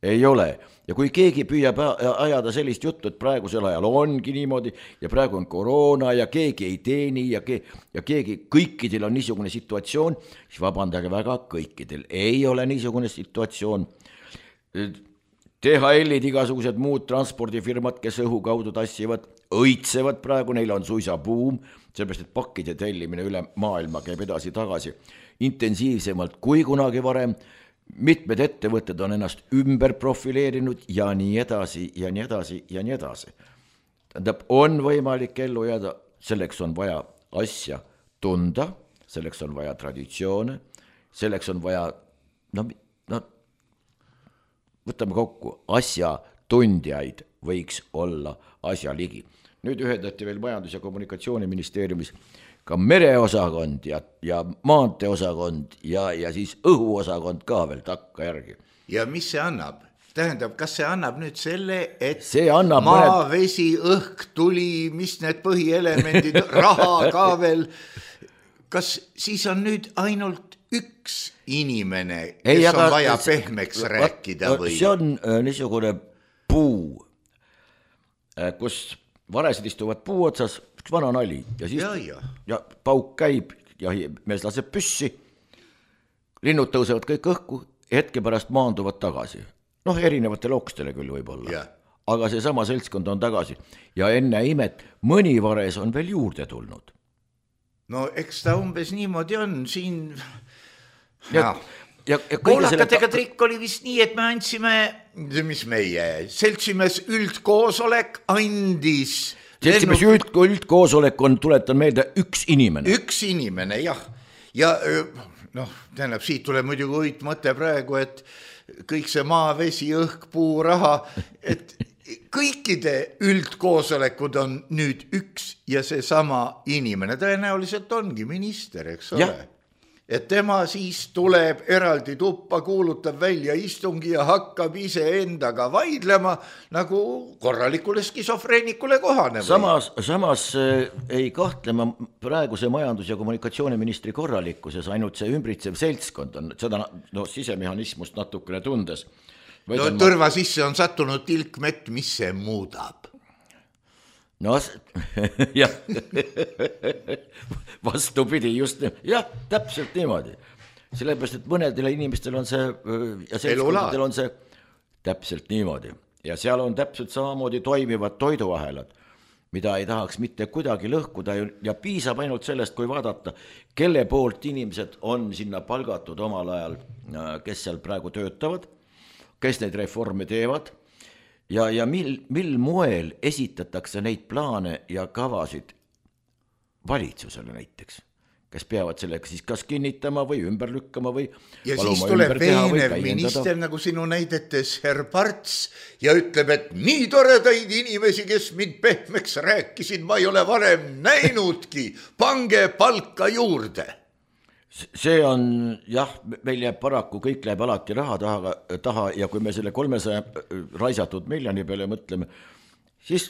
ei ole. Ja kui keegi püüab ajada sellist juttu, et praegusel ajal ongi niimoodi ja praegu on koroona ja keegi ei teeni ja, ke ja keegi, kõikidel on niisugune situatsioon, siis vabandage väga, kõikidel ei ole niisugune situatsioon. T H L-id, igasugused muud transpordifirmad, kes õhu kaudu tassivad, õitsevad praegu, neil on suisa buum, sellepärast, et pakkide tellimine üle maailma käib edasi tagasi intensiivsemalt kui kunagi varem. Mitmed ettevõtted on ennast ümber profileerinud ja nii edasi ja nii edasi ja nii edasi. Tähendab, on võimalik ellu jääda, selleks on vaja asja tunda, selleks on vaja traditsioone, selleks on vaja, no, no võtame kokku, asja tundjaid võiks olla asja ligi. Nüüd ühendati veel Majandus- ja Kommunikatsiooniministeeriumis ka mereosakond ja, ja maanteeosakond ja, ja siis õhuosakond ka veel takka järgi. Ja mis see annab? Tähendab, kas see annab nüüd selle, et see annab maa, mõned... vesi, õhk, tuli, mis need põhielemendid, raha ka veel. Kas siis on nüüd ainult üks inimene, kes Ei, on vaja pehmeks va, rääkida või? See on äh, niisugune puu, äh, kus varesed istuvad puu otsas, üks vana nali ja siis ja, ja. ja pauk käib ja mees laseb püssi, linnud tõusevad kõik õhku, hetke pärast maanduvad tagasi. Noh, erinevatele okstele küll võib olla, ja. Aga see sama seltskond on tagasi ja enne imet mõni vares on veel juurde tulnud. no eks ta umbes niimoodi on siin ja, ja, ja poolakatega selle... trikk oli vist nii, et me andsime, mis meie seltsimees üldkoosolek andis seltsimees üld, üldkoosolek on, tuletan meelde, üks inimene üks inimene, jah, ja noh, tähendab, siit tuleb muidugi uit mõte praegu, et kõik see maa, vesi, õhk, puu, raha, et kõikide üldkoosolekud on nüüd üks ja seesama inimene, tõenäoliselt ongi minister, eks ole. Et tema siis tuleb eraldi tuppa, kuulutab välja istungi ja hakkab ise endaga vaidlema nagu korralikule skisofreenikule kohane. Samas, samas ei kahtlema praeguse majandus- ja kommunikatsiooniministri korralikkuses, ainult see ümbritsev seltskond on seda no, sisemehhanismust natukene tundes. No tõrva ma... sisse on sattunud tilkmett, mis see muudab? No jah, vastupidi, just jah, täpselt niimoodi. Sellepärast, et mõnedele inimestel on see ja seltskondadel on see täpselt niimoodi. Ja seal on täpselt samamoodi toimivad toiduahelad, mida ei tahaks mitte kuidagi lõhkuda ja piisab ainult sellest, kui vaadata, kelle poolt inimesed on sinna palgatud omal ajal, kes seal praegu töötavad, kes neid reforme teevad, ja, ja mil, mil moel esitatakse neid plaane ja kavasid valitsusele näiteks, kes peavad sellega siis kas kinnitama või ümber lükkama või ja siis tuleb veenev minister, nagu sinu näidetes Herr Parts, ja ütleb, et nii toredaid inimesi, kes mind pehmeks rääkisid, ma ei ole varem näinudki, pange palka juurde. See on, jah, meil jääb paraku, kõik läheb alati raha taha, taha ja kui me selle kolmesaja raisatud miljoni peale mõtleme, siis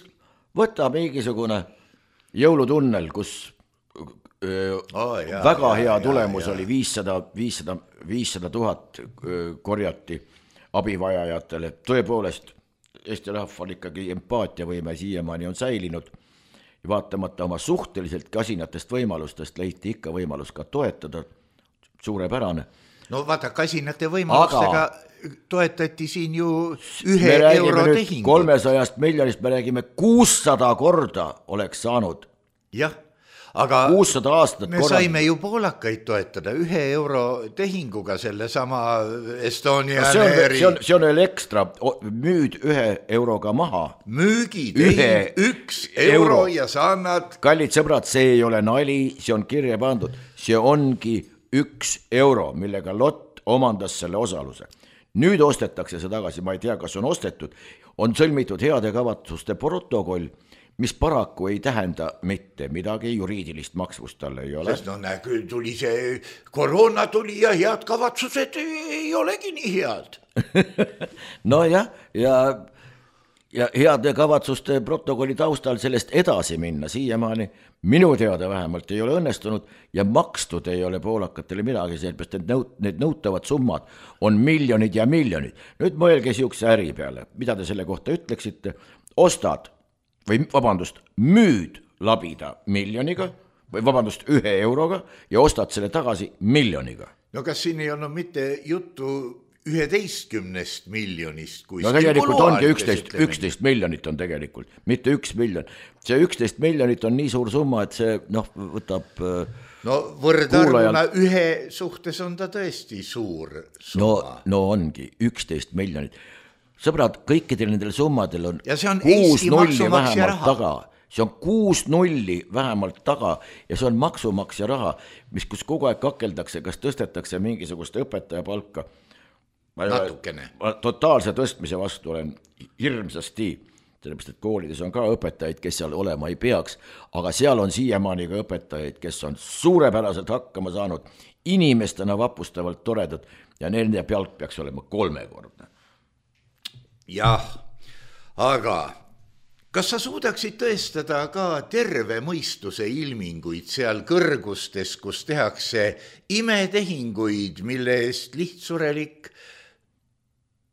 võta mingisugune jõulutunnel, kus öö, oh, jah, väga hea jah, tulemus jah, oli viissada, viissada, viissada tuhat korjati abivajajatele. Tõepoolest, Eesti rahval ikkagi empaatiavõime siiamaani on säilinud. Vaatamata oma suhteliselt kasinatest võimalustest leiti ikka võimalus ka toetada, suurepärane. No vaata, kasinate võimalustega aga toetati siin ju ühe euro tehingut. kolmesajast miljonist me räägime kuussada korda oleks saanud. Jah, aga kuussada aastat me korda. Saime ju poolakaid toetada ühe euro tehinguga selle sama Estonia no, see, on, see, on, see on veel ekstra, müüd ühe euroga maha. Müügid, ühe, üks euro, euro ja sa annad. Kallid sõbrad, see ei ole nali, see on kirja pandud. See ongi üks euro, millega Lott omandas selle osaluse. Nüüd ostetakse see tagasi, ma ei tea, kas on ostetud, on sõlmitud heade kavatsuste protokoll, mis paraku ei tähenda mitte midagi, juriidilist maksvust talle ei ole. Sest no näe, tuli see koroona tuli ja head kavatsused ei olegi nii head. no jah, ja, ja heade kavatsuste protokolli taustal sellest edasi minna siiamaani minu teada vähemalt ei ole õnnestunud ja makstud ei ole poolakatele midagi, sellepärast et nõut, need nõutavad summad on miljonid ja miljonid. Nüüd mõelge siukse äri peale, mida te selle kohta ütleksite, ostad või vabandust, müüd labida miljoniga või vabandust ühe euroga ja ostad selle tagasi miljoniga. No kas siin ei olnud mitte juttu üheteistkümnest miljonist? No tegelikult ongi üksteist, üksteist miljonit on tegelikult, mitte üks miljon. See üksteist miljonit on nii suur summa, et see noh, võtab no võrdarvuna ühe suhtes on ta tõesti suur summa. No, no ongi üksteist miljonit. Sõbrad, kõikidel nendel summadel on ja see on kuus Eesti nulli vähemalt raha. Taga. See on kuus nulli vähemalt taga ja see on maksumaksja raha, mis kus kogu aeg kakeldakse, kas tõstetakse mingisugust õpetaja palka. Natukene. Totaalse tõstmise vastu olen hirmsasti, sellepärast, et koolides on ka õpetajaid, kes seal olema ei peaks, aga seal on siiamaani ka õpetajaid, kes on suurepäraselt hakkama saanud, inimestena vapustavalt toredad ja nende pealt peaks olema kolmekordne. Jah, aga kas sa suudaksid tõestada ka terve mõistuse ilminguid seal kõrgustes, kus tehakse imetehinguid, mille eest lihtsurelik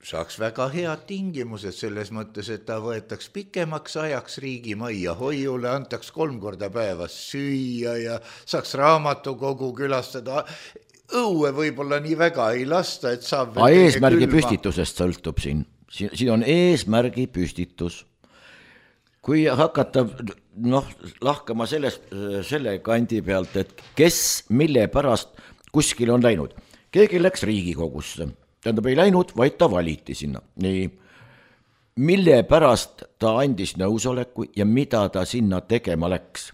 saaks väga head tingimused selles mõttes, et ta võetaks pikemaks ajaks riigimajja hoiule, antaks kolm korda päevas süüa ja saaks raamatukogu külastada. Õue võib-olla nii väga ei lasta, et saab A eesmärgi külma. Püstitusest sõltub siin. Siin on eesmärgi püstitus. kui hakata noh, lahkama sellest, selle kandi pealt, et kes mille pärast kuskil on läinud. Keegi läks Riigikogusse, tähendab ei läinud, vaid ta valiti sinna. Nii, mille pärast ta andis nõusoleku ja mida ta sinna tegema läks.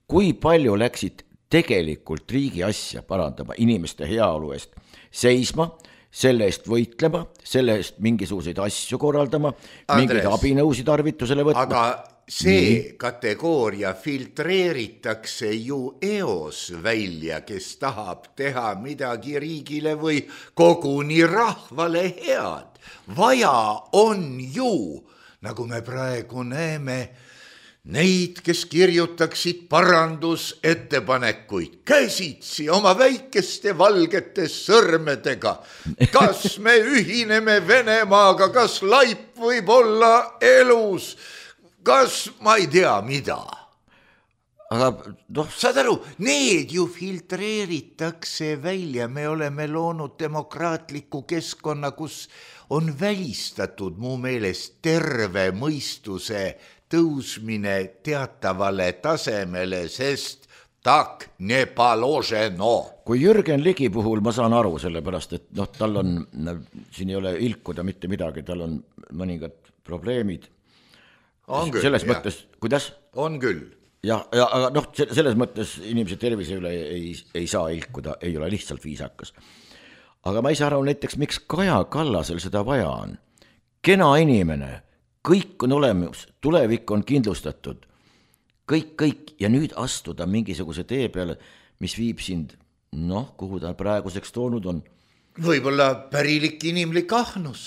Kui palju läksid tegelikult riigi asja parandama, inimeste heaolu eest seisma, selle eest võitlema, selle eest mingisuguseid asju korraldama, mingeid abinõusid tarvitusele võtma. Aga see Nii. kategooria filtreeritakse ju eos välja, kes tahab teha midagi riigile või koguni rahvale head. Vaja on ju, nagu me praegu näeme, neid, kes kirjutaksid parandusettepanekuid käsitsi oma väikeste valgete sõrmedega. Kas me ühineme Venemaaga, kas laip võib olla elus, kas ma ei tea mida. Aga noh, saad aru, need ju filtreeritakse välja, me oleme loonud demokraatliku keskkonna, kus on välistatud mu meelest terve mõistuse tõusmine teatavale tasemele, sest tak ne paloženo. Kui Jürgen Ligi puhul ma saan aru sellepärast, et noh, tal on, siin ei ole ilkuda mitte midagi, tal on mõningad probleemid. On küll, selles jah. mõttes, kuidas? On küll. Ja, ja, aga noh, selles mõttes inimese tervise üle ei, ei saa ilkuda, ei ole lihtsalt viisakas. Aga ma ei saa aru näiteks, miks Kaja Kallasel seda vaja on. Kena inimene, kõik on olemas, tulevik on kindlustatud, kõik, kõik ja nüüd astuda mingisuguse tee peale, mis viib sind, noh, kuhu ta praeguseks toonud on. Võib-olla pärilik inimlik ahnus.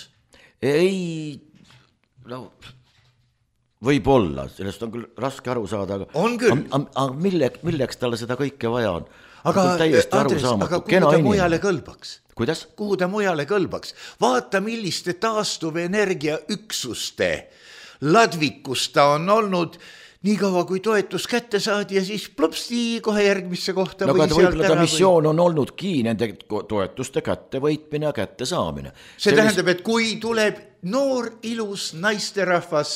Ei, no, võib-olla, sellest on küll raske aru saada, aga, on küll. aga, aga mille, milleks talle seda kõike vaja on? Aga, Andres, aga kuhu ta mujale kõlbaks? Kuidas? Kuhu ta mujale kõlbaks? Vaata, milliste taastuvenergia üksuste ladvikus ta on olnud nii kaua, kui toetus kätte saadi ja siis plopsti kohe järgmisse kohta. No, aga võib-olla ta missioon või... on olnudki nende toetuste kätte võitmine ja kätte saamine. See, See tähendab, et kui tuleb noor ilus naisterahvas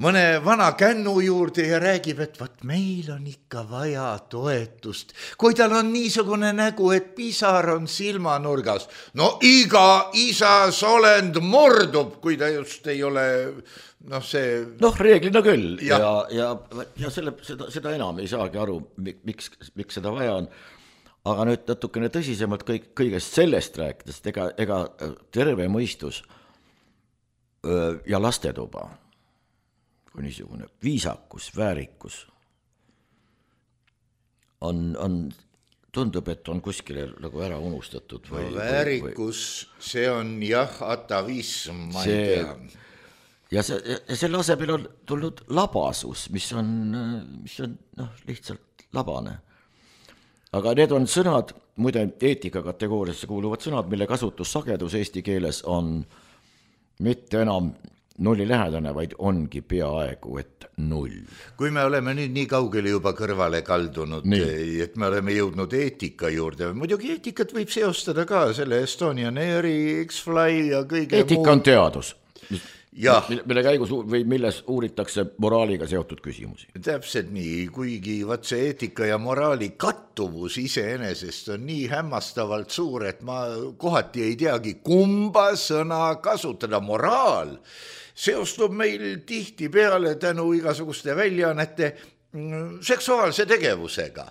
mõne vana kännu juurde ja räägib, et vaat meil on ikka vaja toetust. Kui tal on niisugune nägu, et pisar on silmanurgas, no iga isa solend mordub, kui ta just ei ole, noh see... Noh, reeglina küll ja, ja, ja, ja selle, seda, seda enam ei saagi aru, miks, miks seda vaja on. Aga nüüd natukene tõsisemalt kõik, kõigest sellest rääkides, ega, ega terve mõistus ja lastetuba kui niisugune viisakus, väärikus on, on, tundub, et on kuskile nagu ära unustatud. Või, no, väärikus, või, see on jah, atavism, ma see, ei tea. Ja, see, ja selle asemel on tulnud labasus, mis on, mis on noh, lihtsalt labane. Aga need on sõnad, muide eetika kategooriasse kuuluvad sõnad, mille kasutussagedus eesti keeles on mitte enam nulli lähedane, vaid ongi peaaegu, et null. Kui me oleme nüüd nii kaugele juba kõrvale kaldunud, nii. Et me oleme jõudnud eetika juurde, muidugi eetikat võib seostada ka selle Estonian Airi, X-Fly ja kõige eetika muu. On teadus, jah. mille käigus või milles uuritakse moraaliga seotud küsimusi. Täpselt nii, kuigi vaat see eetika ja moraali kattuvus iseenesest on nii hämmastavalt suur, et ma kohati ei teagi, kumba sõna kasutada. Moraal seostub meil tihti peale tänu igasuguste väljaannete seksuaalse tegevusega.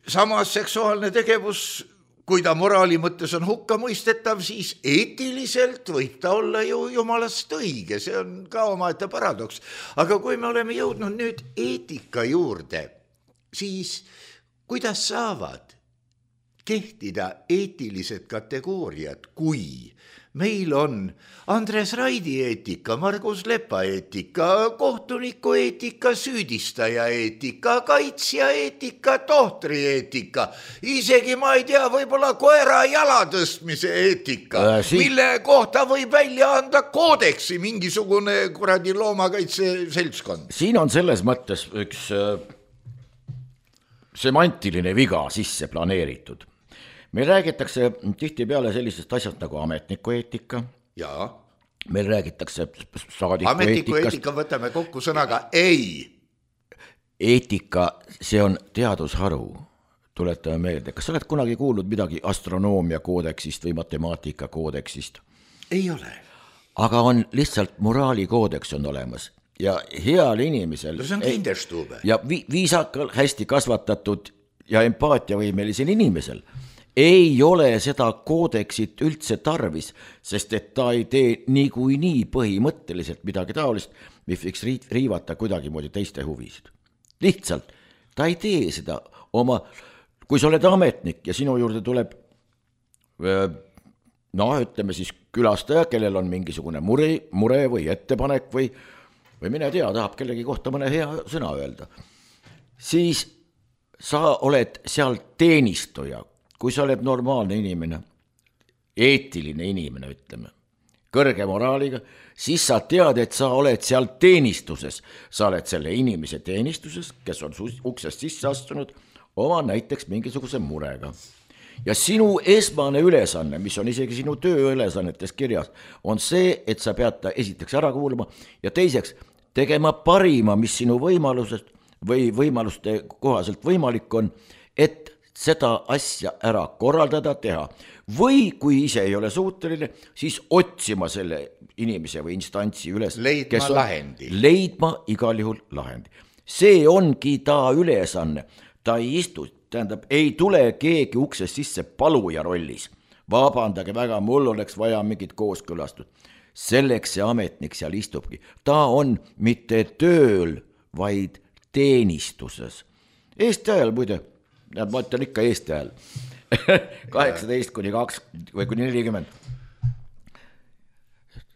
Samas seksuaalne tegevus, kui ta moraali mõttes on hukka mõistetav, siis eetiliselt võib ta olla ju jumalast õige, see on ka omaette paradoks. Aga kui me oleme jõudnud nüüd eetika juurde, siis kuidas saavad kehtida eetilised kategooriad, kui meil on Andres Raidi eetika, Margus Lepa eetika, kohtuniku eetika, süüdistaja eetika, kaitsja eetika, tohtri eetika, isegi ma ei tea, võib-olla koera jala tõstmise eetika, äh, siin... mille kohta võib välja anda koodeksi mingisugune kuradi loomakaitse seltskond. Siin on selles mõttes üks äh, semantiline viga sisse planeeritud. Meil räägitakse tihti peale sellisest asjast nagu ametniku eetika. Jaa. meil räägitakse saadiku ametiku eetikast. eetika võtame kokku sõnaga ei. Eetika, see on teadusharu, tuletame meelde. Kas sa oled kunagi kuulnud midagi astronoomia koodeksist või matemaatika koodeksist? Ei ole. Aga on lihtsalt moraalikoodeks on olemas ja heal inimesel no see on kinderstube. Ja vi- viisakal, hästi kasvatatud ja empaatiavõimelisel inimesel ei ole seda koodeksit üldse tarvis, sest et ta ei tee niikui nii põhimõtteliselt midagi taolist, mis võiks riivata kuidagi moodi teiste huvisid. Lihtsalt, ta ei tee seda oma, kui sa oled ametnik ja sinu juurde tuleb no ütleme siis külastaja, kellel on mingisugune mure, mure või ettepanek või, või mine tea, tahab kellegi kohta mõne hea sõna öelda, siis sa oled seal teenistuja, kui sa oled normaalne inimene, eetiline inimene, ütleme, kõrge moraaliga, siis sa tead, et sa oled seal teenistuses. Sa oled selle inimese teenistuses, kes on uksest sisse astunud, oma näiteks mingisuguse murega. Ja sinu esmane ülesanne, mis on isegi sinu tööülesannetes kirjas, on see, et sa pead ta esiteks ära kuulama ja teiseks tegema parima, mis sinu võimalusest või võimaluste kohaselt võimalik on, et seda asja ära korraldada, teha. Või kui ise ei ole suuteline, siis otsima selle inimese või instantsi üles. Leidma on, lahendi. Leidma igal juhul lahendi. See ongi ta ülesanne. Ta ei istu, tähendab, ei tule keegi uksest sisse paluja rollis. Vabandage väga, mul oleks vaja mingit kooskõlastust. Selleks see ametnik seal istubki. Ta on mitte tööl, vaid teenistuses. Eesti ajal muide, ja ma ütlen ikka Eesti ajal, kaheksateist kuni kaks või kuni nelikümmend.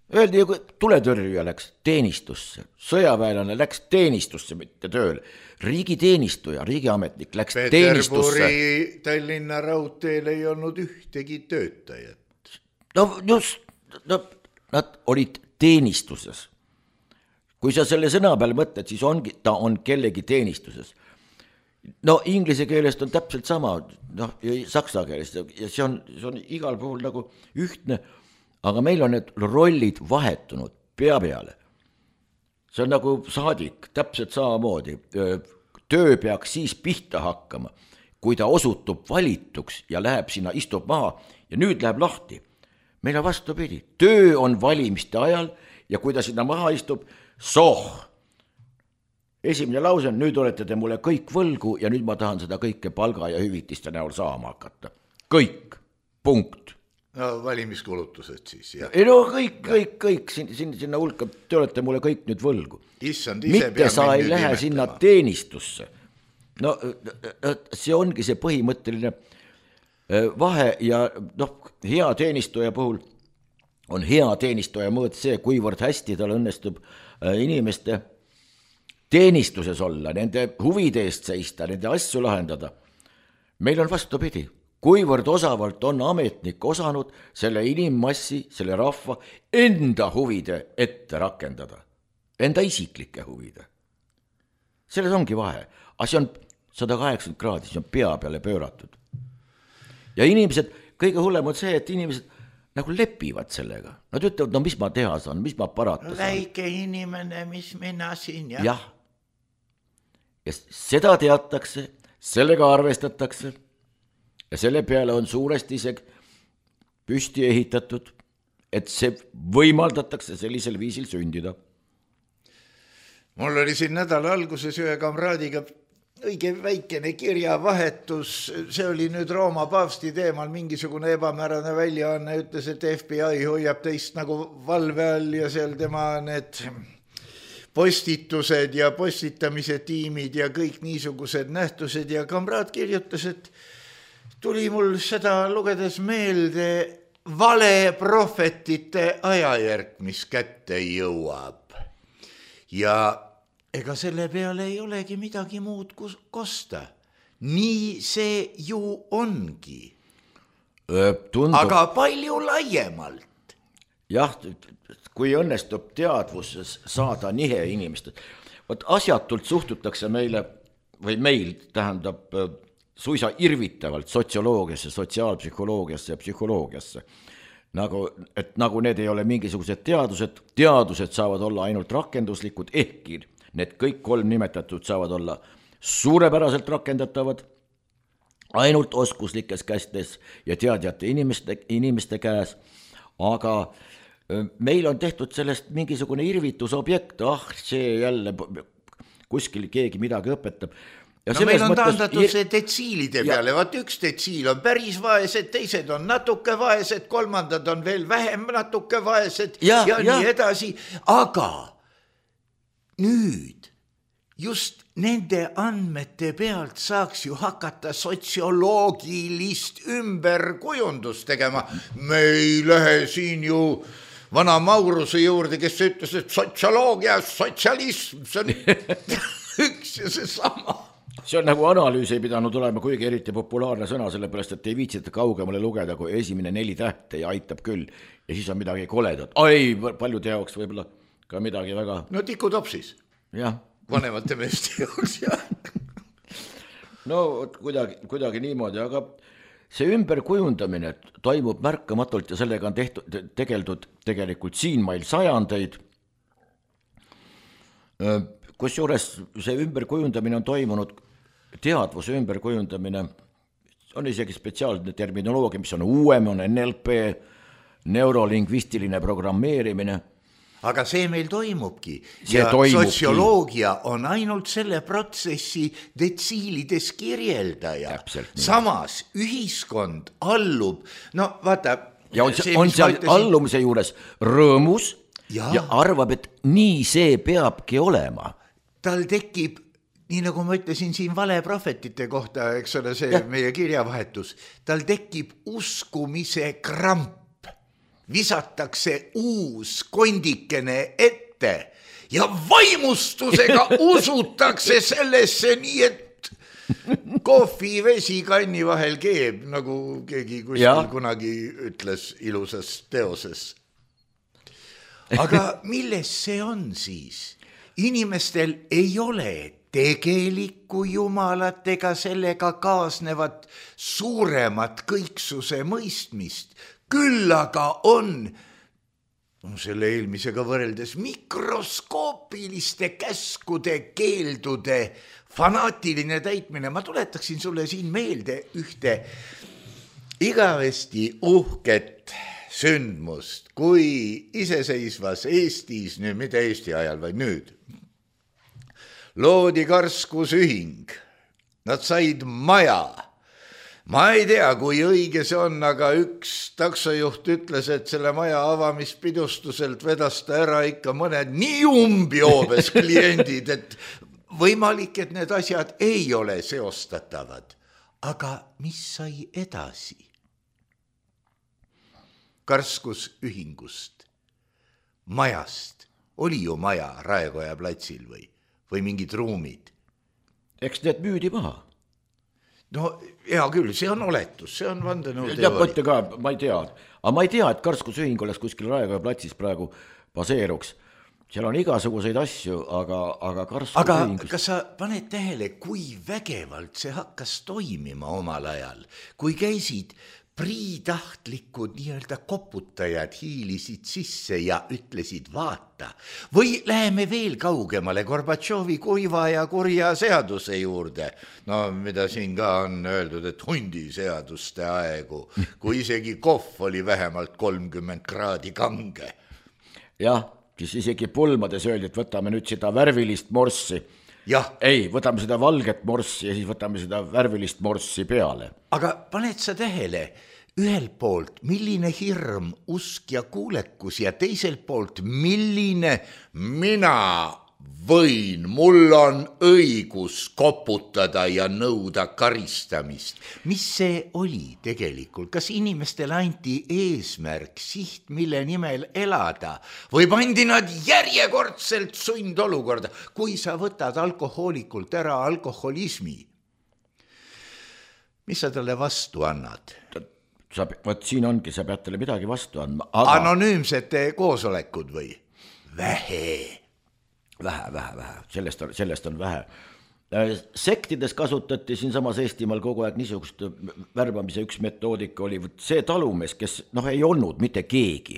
Öeldi, kui tuletõrjuja läks teenistusse, sõjaväelane läks teenistusse, mitte tööle. Riigi teenistuja, riigiametnik läks Peterburi teenistusse. Peterburi Tallinna raudteel ei olnud ühtegi töötajat. No just, no, nad olid teenistuses. Kui sa selle sõna peal mõtled, siis ongi, ta on kellegi teenistuses. No inglise keelest on täpselt sama, noh, ja saksa keelest, ja see on, see on igal puhul nagu ühtne, aga meil on need rollid vahetunud pea peale. See on nagu saadik, täpselt samamoodi. Töö peaks siis pihta hakkama, kui ta osutub valituks ja läheb sinna, istub maha ja nüüd läheb lahti. Meil on vastupidi. Töö on valimiste ajal ja kui ta sinna maha istub, soh! Esimene lause on, nüüd olete te mulle kõik võlgu ja nüüd ma tahan seda kõike palga ja hüvitiste näol saama hakata. Kõik, punkt. No valimiskulutused siis, jah. Ei no kõik, kõik, kõik, sinna, sinna hulka, te olete mulle kõik nüüd võlgu. Issand, ise mitte sa ei lähe nimetama. Sinna teenistusse. No see ongi see põhimõtteline vahe ja noh, hea teenistuja puhul on hea teenistuja mõõt see, kuivõrd hästi tal õnnestub inimeste teenistuses olla, nende huvide eest seista, nende asju lahendada. Meil on vastupidi, kuivõrd osavalt on ametnik osanud selle inimmassi, selle rahva enda huvide ette rakendada, enda isiklike huvide. Selles ongi vahe, aga see on sada kaheksakümmend kraadi, see on pea peale pööratud. Ja inimesed, kõige hullem on see, et inimesed nagu lepivad sellega. Nad ütlevad, no mis ma teha saan, mis ma parata saan. Väike inimene, mis mina siin, jah. Jah. Ja seda teatakse, sellega arvestatakse ja selle peale on suuresti isegi püsti ehitatud, et see võimaldatakse sellisel viisil sündida. Mul oli siin nädala alguses ühe kamraadiga õige väikene kirjavahetus, see oli nüüd Rooma paavsti teemal mingisugune ebamäärane väljaanne, ütles, et F B I hoiab teist nagu valve all ja seal tema need postitused ja postitamise tiimid ja kõik niisugused nähtused ja kamraad kirjutas, et tuli mul seda lugedes meelde vale prohvetite ajajärk, mis kätte jõuab. Ja ega selle peale ei olegi midagi muud kosta. Nii see ju ongi. Tundub... Aga palju laiemalt. Jah, kui õnnestub teadvuses saada nihe inimestel. Võt asjatult suhtutakse meile, või meil tähendab suisa irvitavalt sotsioloogiasse, sotsiaalpsühholoogiasse ja psühholoogiasse. nagu, et nagu need ei ole mingisugused teadused, teadused saavad olla ainult rakenduslikud, ehkki need kõik kolm nimetatud saavad olla suurepäraselt rakendatavad ainult oskuslikes kästes ja teadjate inimeste, inimeste käes, aga meil on tehtud sellest mingisugune irvitusobjekt, ah, see jälle kuskil keegi midagi õpetab. Ja no meil on taandatud ir... see detsiilide peale, vaat üks detsiil on päris vaesed, teised on natuke vaesed, kolmandad on veel vähem natuke vaesed ja, ja, ja nii edasi, aga nüüd just nende andmete pealt saaks ju hakata sotsioloogilist ümberkujundust tegema. Me ei lähe siin ju vana Mauruse juurde, kes ütles, et sotsioloogia, sotsialism, see on üks ja see sama. See on nagu analüüs ei pidanud olema kuigi eriti populaarne sõna, sellepärast, et ei viitsita kaugemale lugeda, kui esimene neli tähte ja aitab küll. Ja siis on midagi koledat. Ai, paljude jaoks võib-olla ka midagi väga... No tikutopsis. Jah. Vanemate meeste jaoks, jah. No kuidagi, kuidagi niimoodi, aga see ümberkujundamine toimub märkamatult ja sellega on tehtud, tegeldud tegelikult siin meil sajandeid. Kusjuures see ümberkujundamine on toimunud, teadvuse ümberkujundamine, on isegi spetsiaalne terminoloogia, mis on uuem, on N L P, neurolingvistiline programmeerimine. Aga see meil toimubki see ja toimubki. Sotsioloogia on ainult selle protsessi detsiilides kirjeldaja. Samas ühiskond allub, no vaata. Ja on, see, on seal ütlesin... allumise juures rõõmus ja. ja arvab, et nii see peabki olema. Tal tekib, nii nagu ma ütlesin siin valeprohvetite kohta, eks ole see ja. Meie kirjavahetus, tal tekib uskumise kramp. Visatakse uus kondikene ette ja vaimustusega usutakse sellesse nii, et kohvi vesi kanni vahel keeb, nagu keegi kuskil ja. Kunagi ütles ilusas teoses. Aga milles see on siis? Inimestel ei ole tegelikku jumalat ega sellega kaasnevat suuremat kõiksuse mõistmist, küll aga on no selle eelmisega võrreldes mikroskoopiliste käskude, keeldude fanaatiline täitmine. Ma tuletaksin sulle siin meelde ühte igavesti uhket sündmust, kui iseseisvas Eestis, nüüd mitte Eesti ajal, vaid nüüd, loodi karskusühing. Nad said maja. Ma ei tea, kui õige see on, aga üks taksojuht ütles, et selle maja avamispidustuselt vedas ta ära ikka mõned nii umbjoobes kliendid, et võimalik, et need asjad ei ole seostatavad. Aga mis sai edasi? Karskusühingust, majast, oli ju maja Raekoja platsil või, või mingid ruumid? Eks need müüdi maha. No hea küll, see on oletus, see on vandenõuteooria. Ja mõtte ka, ma ei tea, aga ma ei tea, et karskusühing oleks kuskil Raekoja platsis praegu baseeruks. Seal on igasuguseid asju, aga, aga karskusühing... Aga kas sa paned tähele, kui vägevalt see hakkas toimima omal ajal, kui käisid priitahtlikud nii-öelda koputajad hiilisid sisse ja ütlesid vaata. Või läheme veel kaugemale Gorbatšovi kuiva ja kurja seaduse juurde. No mida siin ka on öeldud, et hundiseaduste aegu, kui isegi kohv oli vähemalt kolmkümmend kraadi kange. Jah, siis isegi pulmades öeldi, et võtame nüüd seda värvilist morssi. Jah. Ei, võtame seda valget morssi ja siis võtame seda värvilist morssi peale. Aga paned sa tähele, ühelt poolt milline hirm, usk ja kuulekus ja teiselt poolt milline mina võin, mul on õigus koputada ja nõuda karistamist. Mis see oli tegelikult? Kas inimestele anti eesmärk, siht, mille nimel elada? Või pandi nad järjekordselt sundolukorda, kui sa võtad alkohoolikult ära alkoholismi? Mis sa talle vastu annad? Sa, võt, siin ongi, sa pead talle midagi vastu andma. Aga... Anonüümsete koosolekud või? Vähe. Vähe, vähe, vähe. Sellest on, sellest on vähe. Sektides kasutati siin samas Eestimaal kogu aeg niisugust värbamise üks metoodika oli see talumees, kes noh, ei olnud mitte keegi.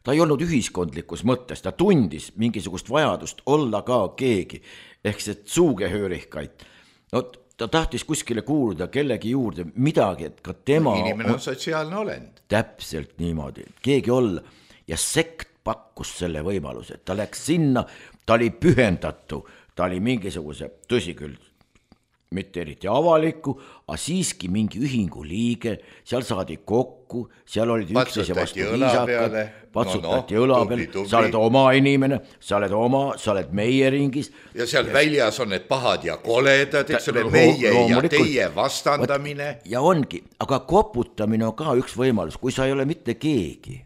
Ta ei olnud ühiskondlikus mõttes, ta tundis mingisugust vajadust olla ka keegi, ehk see suugehöörihkaid. No, ta tahtis kuskile kuuluda kellegi juurde midagi, et ka tema... Inimene on sotsiaalne olend. Täpselt niimoodi, keegi olla. Ja sekt pakkus selle võimaluse, ta läks sinna, ta oli pühendatu, ta oli mingisuguse, tõsi küll, mitte eriti avaliku, aga siiski mingi ühingu liige, seal saadi kokku, seal olid üksteise vastu viisakad, patsutati no, no, õla peal, sa oled oma inimene, sa oled oma, sa oled meie ringis. Ja seal ja väljas on need pahad ja koledad, eks ole, meie ja teie vastandamine. Ja ongi, aga koputamine on ka üks võimalus, kui sa ei ole mitte keegi.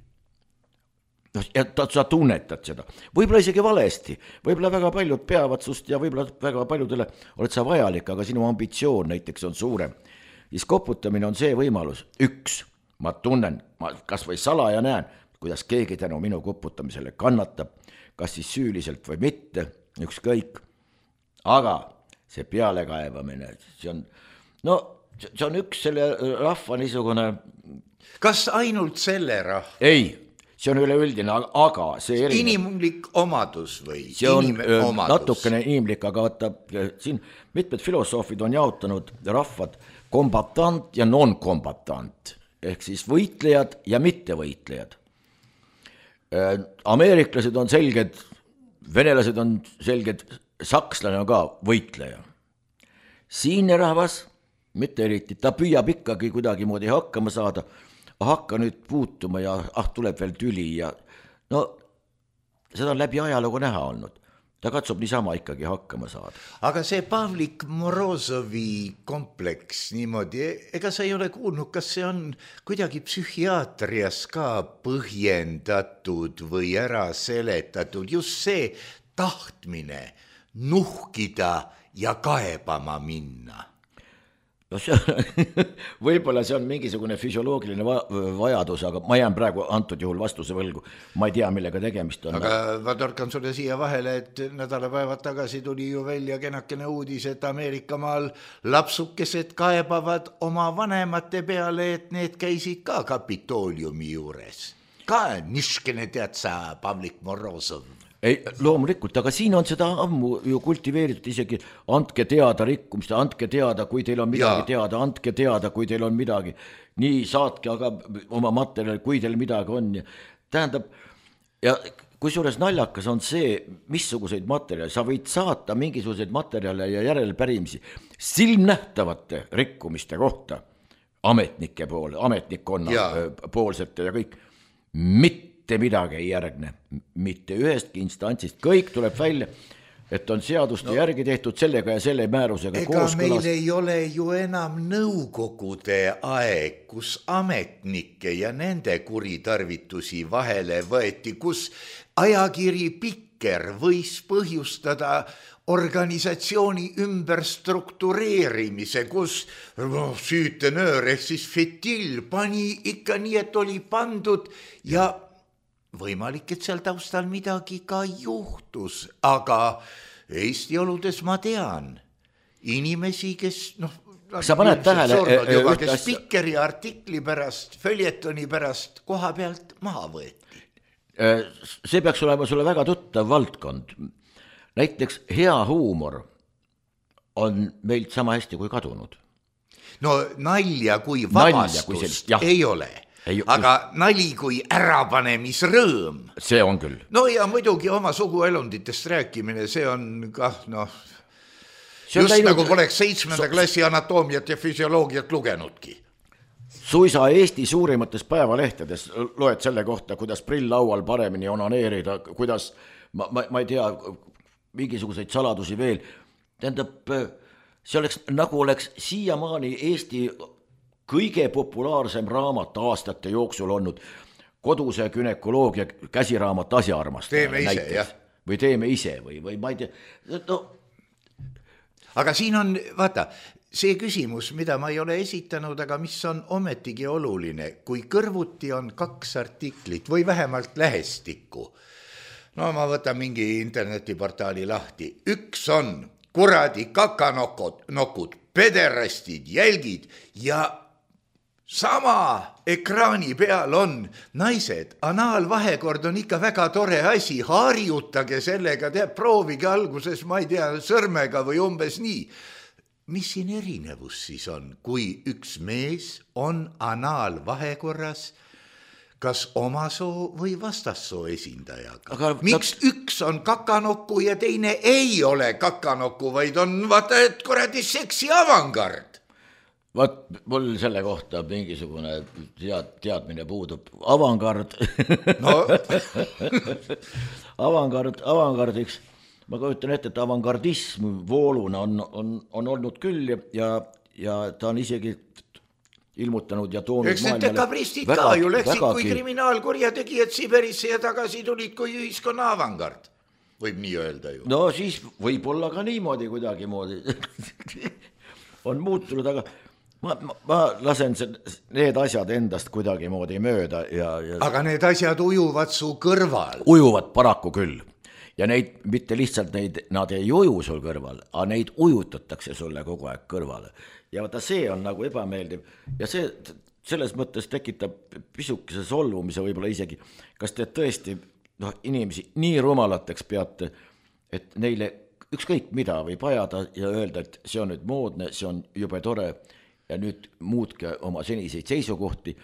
No, ja ta, sa tunnetad seda, võib-olla isegi valesti, võib-olla väga paljud peavad sust ja võib-olla väga paljudele oled sa vajalik, aga sinu ambitsioon näiteks on suurem. Siis koputamine on see võimalus, üks, ma tunnen, ma kas või salaja näen, kuidas keegi tänu minu koputamisele kannatab, kas siis süüliselt või mitte, ükskõik, aga see pealekaevamine, see on, no see on üks selle rahva niisugune... Kas ainult selle rahva? Ei, see on üleüldine, aga see erinev... Inimlik omadus või? See on omadus. Natukene inimlik, aga vaata, siin mitmed filosoofid on jaotanud rahvad kombatant ja non-kombatant, ehk siis võitlejad ja mittevõitlejad. Ameeriklased on selged, venelased on selged, sakslane on ka võitleja. Siine rahvas, mitte eriti, ta püüab ikkagi kuidagi moodi hakkama saada, hakka nüüd puutuma ja ah, tuleb veel tüli ja no seda on läbi ajalugu näha olnud. Ta katsub niisama ikkagi hakkama saada. Aga see Pavlik Morozovi kompleks niimoodi, ega sa ei ole kuulnud, kas see on kuidagi psühhiaatrias ka põhjendatud või ära seletatud, just see tahtmine nuhkida ja kaebama minna. No see, võib-olla see on mingisugune füsioloogiline vajadus, aga ma jään praegu antud juhul vastuse võlgu. Ma ei tea, millega tegemist on. Aga ma torkan sulle siia vahele, et nädalapäevad tagasi tuli ju välja kenakene uudis, et Ameerikamaal lapsukesed kaebavad oma vanemate peale, et need käisid ka Kapitooliumi juures. Ka niškene tead sa Pavlik Morozov. Ei, loomulikult, aga siin on seda ammu ju kultiveeritud isegi andke teada rikkumist, andke teada, kui teil on midagi ja. teada, andke teada, kui teil on midagi. Nii saatke aga oma materjali, kui teil midagi on. Tähendab, ja kui suures naljakas on see, missuguseid materjali, sa võid saata mingisuguseid materjale ja järelpärimisi silmnähtavate rikkumiste kohta ametnike poole, ametnikkonna ja. poolsete ja kõik, mitte midagi ei järgne, mitte ühestki instantsist, kõik tuleb välja, et on seaduste no, järgi tehtud sellega ja selle määrusega ega kooskõlas. Meil ei ole ju enam nõukogude aeg, kus ametnikke ja nende kuritarvitusi vahele võeti, kus ajakiri Pikker võis põhjustada organisatsiooni ümberstruktureerimise, kus no, süütenöör ehk siis fetill pani ikka nii, et oli pandud ja võimalik, et seal taustal midagi ka juhtus, aga Eesti oludes ma tean inimesi, kes noh, sa paned tähele, juba, kes Pikkeri artikli pärast, följetoni pärast koha pealt maha võeti. See peaks olema sulle väga tuttav valdkond. Näiteks hea huumor on meilt sama hästi kui kadunud. No nalja kui vabastust nalja, kui sellist, ei ole. Ei, aga just... nali kui ärapanemisrõõm. See on küll. No ja muidugi oma suguelunditest rääkimine, see on kah noh, just läinud... nagu poleks seitsmenda so... klassi anatoomiat ja füsioloogiat lugenudki. Suisa Eesti suurimates päevalehtedes loed selle kohta, kuidas prilllaual paremini onaneerida, kuidas, ma, ma, ma ei tea, mingisuguseid saladusi veel. Tähendab, see oleks, nagu oleks siiamaani Eesti kõige populaarsem raamat aastate jooksul olnud koduse günekoloogia käsiraamat asjaarmast. Teeme ise, näiteks. Jah. Või teeme ise või, või ma ei tea. No. Aga siin on, vaata, see küsimus, mida ma ei ole esitanud, aga mis on ometigi oluline, kui kõrvuti on kaks artiklit või vähemalt lähestikku. No ma võtan mingi internetiportaali lahti. Üks on kuradi kakanokod, nokud, pederastid, jälgid ja sama ekraani peal on naised. Anaalvahekord on ikka väga tore asi, harjutage sellega, teab, proovige alguses, ma ei tea, sõrmega või umbes nii. Mis siin erinevus siis on, kui üks mees on anaalvahekorras, kas oma soo või vastassoo esindajaga? Aga miks ta... üks on kakanokku ja teine ei ole kakanokku, vaid on vaata, et kuradi seksi avangard? Vaat, mul selle kohta mingisugune tead, teadmine puudub. Avangard. No. avangard, avangardiks. Ma kujutan ette, et avangardism vooluna on, on, on olnud küll ja, ja ta on isegi ilmutanud ja toonud eks need dekabristid ka ju läksid kui kriminaalkurjategijad Siberisse ja tagasi tulid kui ühiskonna avangard. Võib nii öelda ju. No siis võib olla ka niimoodi kuidagi moodi. on muutunud, aga ma, ma, ma lasen need asjad endast kuidagi moodi mööda. Ja, ja... Aga need asjad ujuvad su kõrval. Ujuvad paraku küll. Ja neid, mitte lihtsalt neid, nad ei uju sul kõrval, aga neid ujutatakse sulle kogu aeg kõrvale. Ja vaata, see on nagu ebameeldiv ja see selles mõttes tekitab pisukese solvumise võib-olla isegi. Kas te tõesti no, inimesi nii rumalateks peate, et neile ükskõik mida võib ajada ja öelda, et see on nüüd moodne, see on jube tore ja nüüd muutke oma seniseid seisukohti.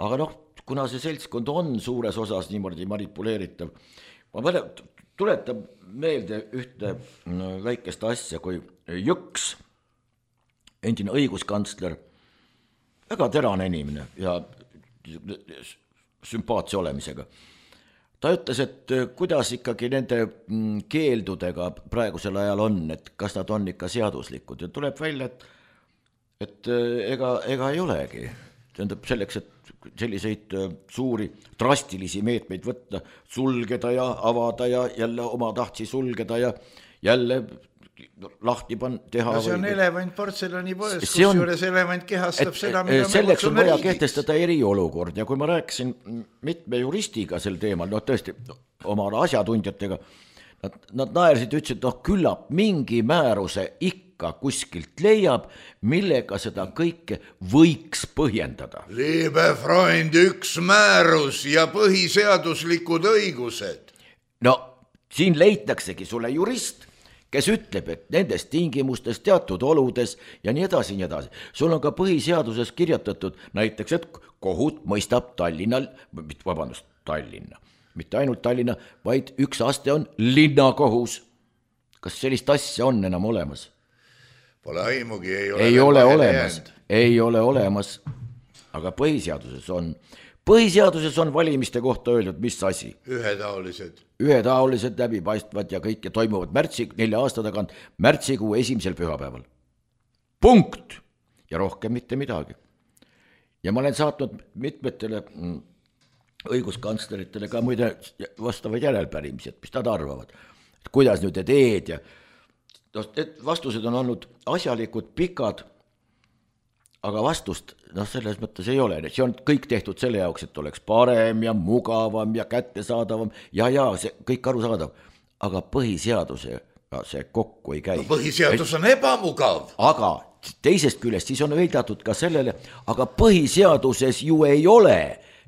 Aga noh, kuna see seltskond on suures osas niimoodi manipuleeritav, ma tuletan meelde ühte väikest asja, kui Jõks, endine õiguskantsler, väga terane inimene ja sümpaatse olemisega. Ta ütles, et kuidas ikkagi nende keeldudega praegusel ajal on, et kas nad on ikka seaduslikud ja tuleb välja, et, et ega, ega ei olegi. Tähendab selleks, et selliseid suuri drastilisi meetmeid võtta, sulgeda ja avada ja jälle oma tahtsi sulgeda ja jälle lahti pan, teha. No see on või... elevant portselani poes, kus on... juures elevant kehastab et, seda, mida selleks on vaja riigiks. Kehtestada eriolukord ja kui ma rääkisin mitme juristiga sel teemal, no tõesti oma asjatundjatega, nad, nad naersid, ütlesid, noh küllap mingi määruse ikka kuskilt leiab, millega seda kõike võiks põhjendada. Liebe Freund, üks määrus ja põhiseaduslikud õigused. No siin leitaksegi sulle jurist, kes ütleb, et nendes tingimustes, teatud oludes ja nii edasi, nii edasi. Sul on ka põhiseaduses kirjutatud näiteks, et kohut mõistab Tallinnal, vabandust, Tallinna, mitte ainult Tallinna, vaid üks aste on linnakohus. Kas sellist asja on enam olemas? Pole aimugi, ei ole, ei ole olemas, ei ole olemas, aga põhiseaduses on. Põhiseaduses on valimiste kohta öeldud, mis asi? Ühetaolised. Ühetaolised läbipaistvad ja kõike toimuvad märtsi, nelja aasta tagant märtsikuu esimesel pühapäeval. Punkt! Ja rohkem mitte midagi. Ja ma olen saatnud mitmetele õiguskantsleritele ka muide vastavaid järelpärimisi, et mis nad arvavad. Et kuidas nüüd te teed ja vastused on olnud asjalikud, pikad, aga vastust noh, selles mõttes ei ole. See on kõik tehtud selle jaoks, et oleks parem ja mugavam ja kättesaadavam ja ja see kõik arusaadav. Aga põhiseaduse see kokku ei käi. No, põhiseadus on ebamugav. Aga teisest küljest siis on veidatud ka sellele, aga põhiseaduses ju ei ole,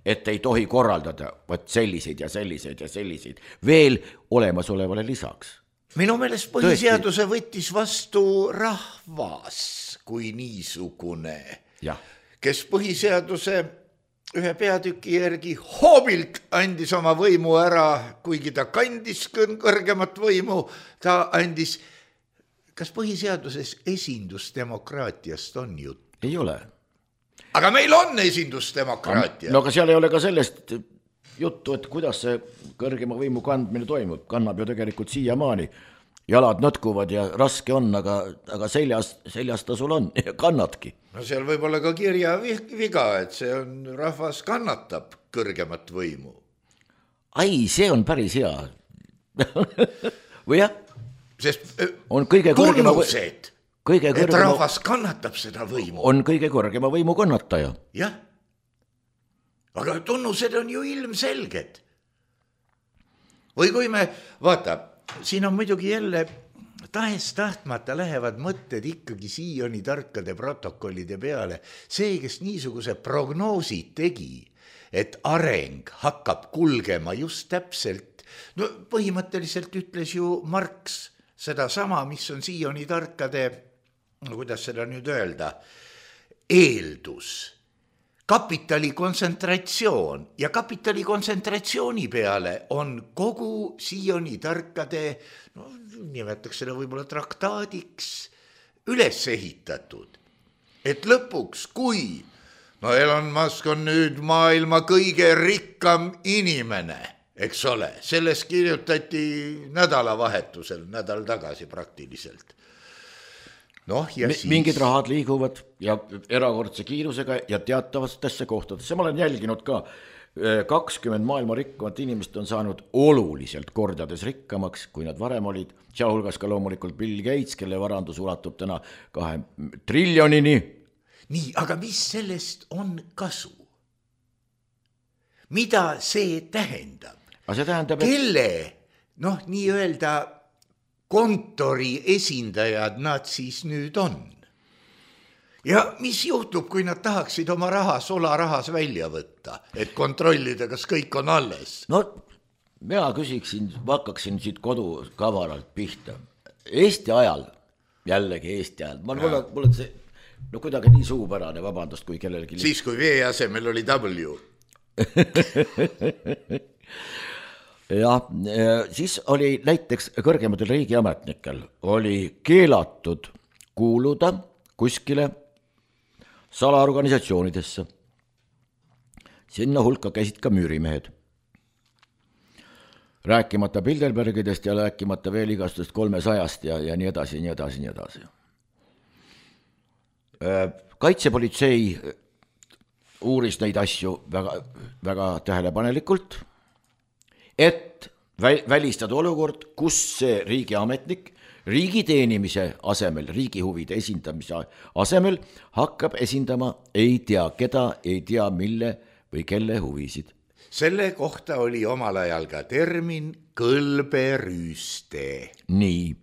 et ei tohi korraldada võt selliseid ja selliseid ja selliseid veel olemasolevale lisaks. Minu meelest põhiseaduse võttis vastu rahvas kui niisugune, ja. Kes põhiseaduse ühe peatüki järgi hoobilt andis oma võimu ära, kuigi ta kandis kõrgemat võimu, ta andis, kas põhiseaduses esindusdemokraatiast on jutt? Ei ole. Aga meil on esindusdemokraatia. No aga seal ei ole ka sellest juttu, et kuidas see kõrgema võimu kandmine toimub, kannab ju tegelikult siiamaani. Jalad nõtkuvad ja raske on, aga, aga seljas, seljas ta sul on ja kannatki. No seal võib olla ka kirja viga, et see on, rahvas kannatab kõrgemat võimu. Ai, see on päris hea. Või jah? Sest on kõige kõrgema tunnused, kõige et kõrgema, rahvas kannatab seda võimu. On kõige kõrgema võimu kannataja. Jah. Aga tunnused on ju ilmselged. Või kui me, vaata, siin on muidugi jälle tahes tahtmata lähevad mõtted ikkagi siiani tarkade protokollide peale. See, kes niisuguse prognoosid tegi, et areng hakkab kulgema just täpselt, no põhimõtteliselt ütles ju Marx seda sama, mis on siiani tarkade, no kuidas seda nüüd öelda, eeldus. Kapitali kontsentratsioon ja kapitali kontsentratsiooni peale on kogu siiani tarkade, no nimetaks seda võib-olla traktaadiks, üles ehitatud. Et lõpuks, kui no Elon Musk on nüüd maailma kõige rikkam inimene, eks ole, sellest kirjutati nädalavahetusel, nädal tagasi praktiliselt. No, ja M- siis... mingid rahad liiguvad ja erakordse kiirusega ja teatavatesse kohtadesse. Ma olen jälginud ka, kakskümmend maailma rikkamat inimest on saanud oluliselt kordades rikkamaks, kui nad varem olid, sealhulgas ka loomulikult Bill Gates, kelle varandus ulatub täna kahe triljonini. Nii, aga mis sellest on kasu? Mida see tähendab? Aga see tähendab, et... Kelle, noh, nii öelda kontori esindajad nad siis nüüd on? Ja mis juhtub, kui nad tahaksid oma raha solarahas välja võtta, et kontrollida, kas kõik on alles? No, mina küsiksin, hakkaksin siit kodu kavaralt pihta. Eesti ajal, jällegi Eesti ajal, ma mulle, mulle see, no kuidagi nii suupärane, vabandust, kui kellelegi... Siis, kui V asemel oli W. jah, siis oli näiteks kõrgematel riigiametnikel oli keelatud kuuluda kuskile salaorganisatsioonidesse. Sinna hulka käisid ka müürimehed. Rääkimata Bilderbergidest ja rääkimata veel igastust kolmesajast ja, ja nii edasi, nii edasi, nii edasi. Kaitsepolitsei uuris neid asju väga, väga tähelepanelikult, et välistada olukord, kus see riigiametnik riigi teenimise asemel, riigi huvide esindamise asemel hakkab esindama ei tea keda, ei tea mille või kelle huvisid. Selle kohta oli omal ajal ka termin kõlberüüste. Nii,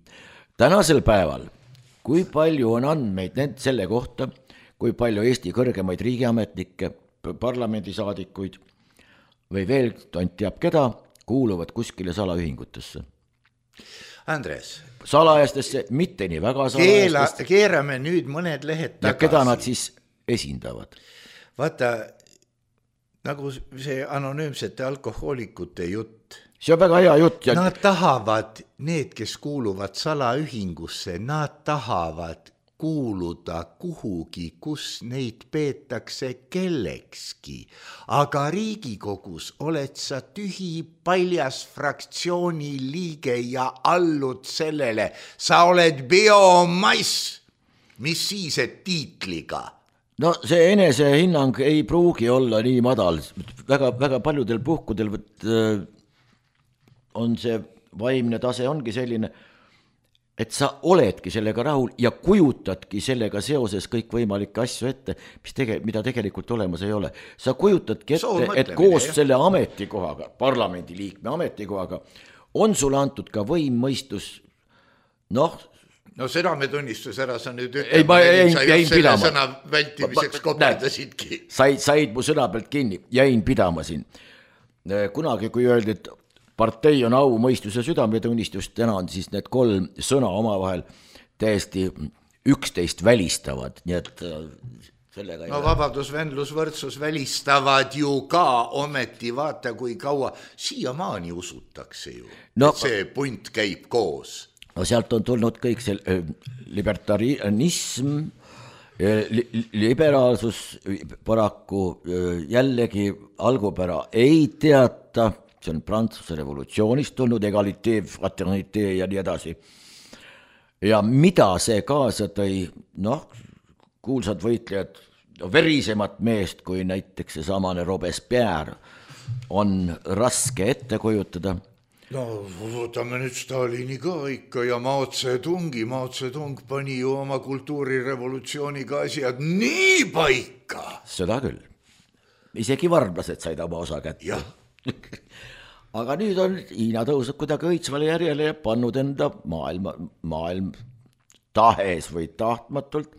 tänasel päeval, kui palju on andmeid need selle kohta, kui palju Eesti kõrgemaid riigiametnikke, parlamendisaadikuid või veel tont teab keda, kuuluvad kuskile salaühingutesse. Andres. Salajastesse, mitte nii väga salajastesse. Keela, keerame nüüd mõned lehed tagasi. Ja keda nad siis esindavad? Vaata, nagu see anonüümsete alkohoolikute jutt. See on väga hea jutt. Ja... Nad tahavad, need, kes kuuluvad salaühingusse, nad tahavad kuuluda kuhugi, kus neid peetakse kellekski. Aga Riigikogus oled sa tühi paljas fraktsiooni liige ja allud sellele. Sa oled biomass, mis siis, et tiitliga? No see enesehinnang ei pruugi olla nii madal. Väga, väga paljudel puhkudel võt, on see vaimne tase ongi selline, et sa oledki sellega rahul ja kujutadki sellega seoses kõik võimalikke asju ette, mis tege, mida tegelikult olemas ei ole. Sa kujutadki ette, et koos jah. Selle ametikohaga, parlamendiliikme ametikohaga, on sulle antud ka võimmõistus, noh... No seda me tunnistus ära, sa nüüd ütlema, ei, ma jäin, sa jäin selle pidama. Sõna vältimiseks kopidasidki. Said, said mu sõna pealt kinni, jäin pidama siin. Kunagi, kui öeldi, et partei on au, mõistus ja südametunnistust, täna on siis need kolm sõna omavahel täiesti üksteist välistavad, nii et sellega... No vabadus, vendlus, võrdsus välistavad ju ka ometi, vaata kui kaua, siiamaani usutakse ju, no, et see punt käib koos. No sealt on tulnud kõik see libertarianism, li, liberaalsus paraku jällegi algupära ei teata, see on Prantsuse revolutsioonist tulnud, egalité, fraternité ja nii edasi. Ja mida see kaasa tõi, noh, kuulsad võitlejad, verisemat meest kui näiteks see samane Robespierre on raske ette kujutada. No võtame nüüd Stalini ka ikka ja Mao Tse-tungi, Mao Tse-tung pani ju oma kultuurirevolutsiooniga asjad nii paika. Seda küll. Isegi varblased said oma osa kätte. Jah. aga nüüd on Hiina tõusnud kuidagi õitsvale järjele ja pannud enda maailma, maailm tahes või tahtmatult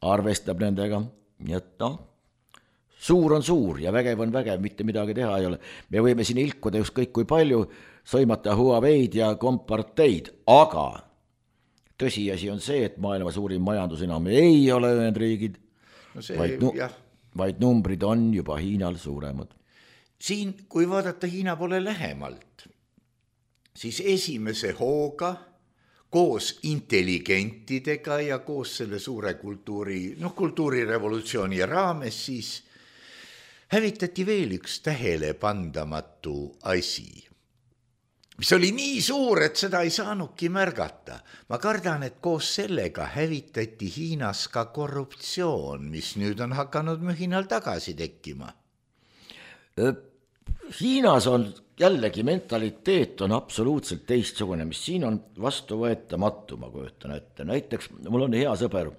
arvestab nendega, nii et noh, suur on suur ja vägev on vägev, mitte midagi teha ei ole. Me võime siin ilkuda ükskõik kui palju, sõimata Huaweid ja komparteid, aga tõsiasi on see, et maailma suurim majandus enam ei ole Ühendriigid, no see, vaid, nu- vaid numbrid on juba Hiinal suuremad. Siin, kui vaadata Hiina poole lähemalt, siis esimese hooga koos intelligentidega ja koos selle suure kultuuri, noh, kultuurirevolutsiooni raames siis hävitati veel üks tähele pandamatu asi, mis oli nii suur, et seda ei saanudki märgata. Ma kardan, et koos sellega hävitati Hiinas ka korruptsioon, mis nüüd on hakanud mühinal tagasi tekkima. Hiinas on jällegi mentaliteet on absoluutselt teistsugune, mis siin on vastuvõetamatu, ma kujutan ette. Näiteks mul on hea sõber,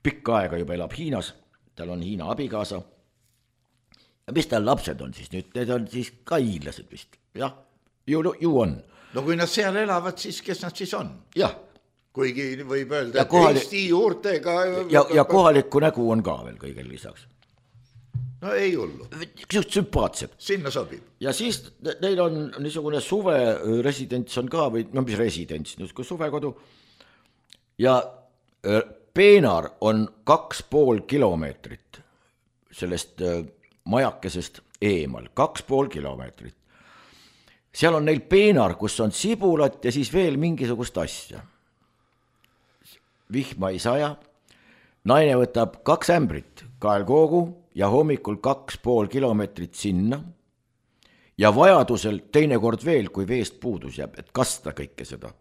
pikka aega juba elab Hiinas, tal on Hiina abikaasa. Ja mis tal lapsed on siis nüüd? Need on siis ka hiinlased vist, jah, ju, ju on. No kui nad seal elavad, siis kes nad siis on? Jah. Kuigi võib öelda, et kohalik... Eesti juurtega... Ja, ja kohalikku nägu on ka veel kõigel lisaks. No ei hullu. Just sümpaatsed. Sinna sobib. Ja siis neil on niisugune suve residents on ka, või no mis residents, niisugune suvekodu. Ja peenar on kaks pool kilomeetrit sellest majakesest eemal, kaks pool kilomeetrit. Seal on neil peenar, kus on sibulat ja siis veel mingisugust asja. Vihma ei saja, naine võtab kaks ämbrit kaelkoogu ja hommikul kaks pool kilomeetrit sinna ja vajadusel teinekord veel, kui veest puudus jääb, et kasta kõike seda.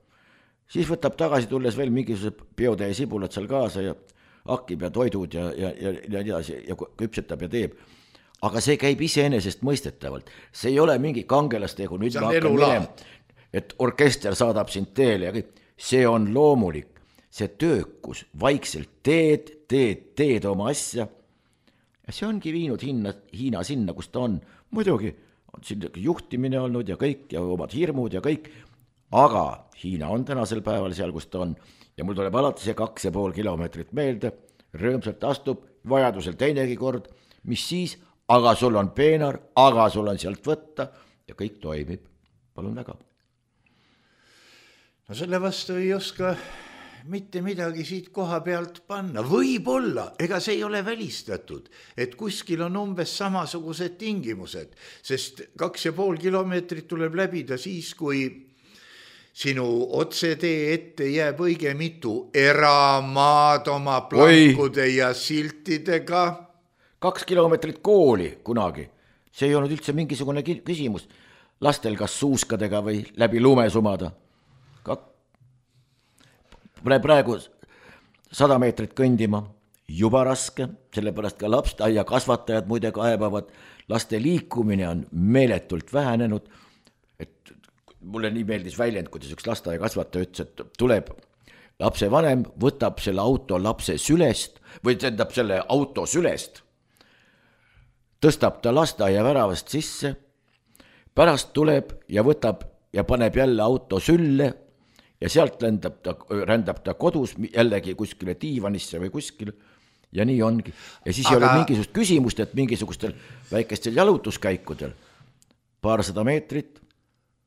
Siis võtab tagasi tulles veel mingisugused biotäie sibulat seal kaasa ja hakkib ja toidud ja, ja, ja, ja, ja, ja küpsetab ja teeb. Aga see käib iseenesest mõistetavalt. See ei ole mingi kangelastegu, nüüd ma hakkan minema, et orkester saadab sind teele ja kõik. See on loomulik. See töökus, vaikselt teed, teed, teed oma asja. Ja see ongi viinud Hiina, Hiina sinna, kus ta on. Muidugi on siin juhtimine olnud ja kõik ja omad hirmud ja kõik, aga Hiina on tänasel päeval seal, kus ta on. Ja mul tuleb alati see kaks ja pool kilomeetrit meelde, rõõmsalt astub, vajadusel teinegi kord, mis siis, aga sul on peenar, aga sul on sealt võtta ja kõik toimib. Palun väga. No selle vastu ei oska mitte midagi siit koha pealt panna. Võib-olla, ega see ei ole välistatud, et kuskil on umbes samasugused tingimused, sest kaks ja pool kilomeetrit tuleb läbida siis, kui sinu otsetee ette jääb õige mitu eramaad oma plankude Oi. Ja siltidega. Kaks kilomeetrit kooli kunagi. See ei olnud üldse mingisugune küsimus. Lastel kas suuskadega või läbi lume sumada. Kak- praegu sada meetrit kõndima, juba raske, sellepärast ka lapseaia kasvatajad muide kaebavad, laste liikumine on meeletult vähenenud, et mulle nii meeldis väljend, kuidas üks lasteaia kasvataja ütles, et tuleb lapse vanem, võtab selle auto lapse sülest, või tähendab selle auto sülest, tõstab ta lasteaia väravast sisse, pärast tuleb ja võtab ja paneb jälle auto sülle, ja sealt rändab ta, rändab ta kodus jällegi kuskile diivanisse või kuskile ja nii ongi. Ja siis Aga... ei ole mingisugust küsimust, et mingisugustel väikestel jalutuskäikudel paarsada meetrit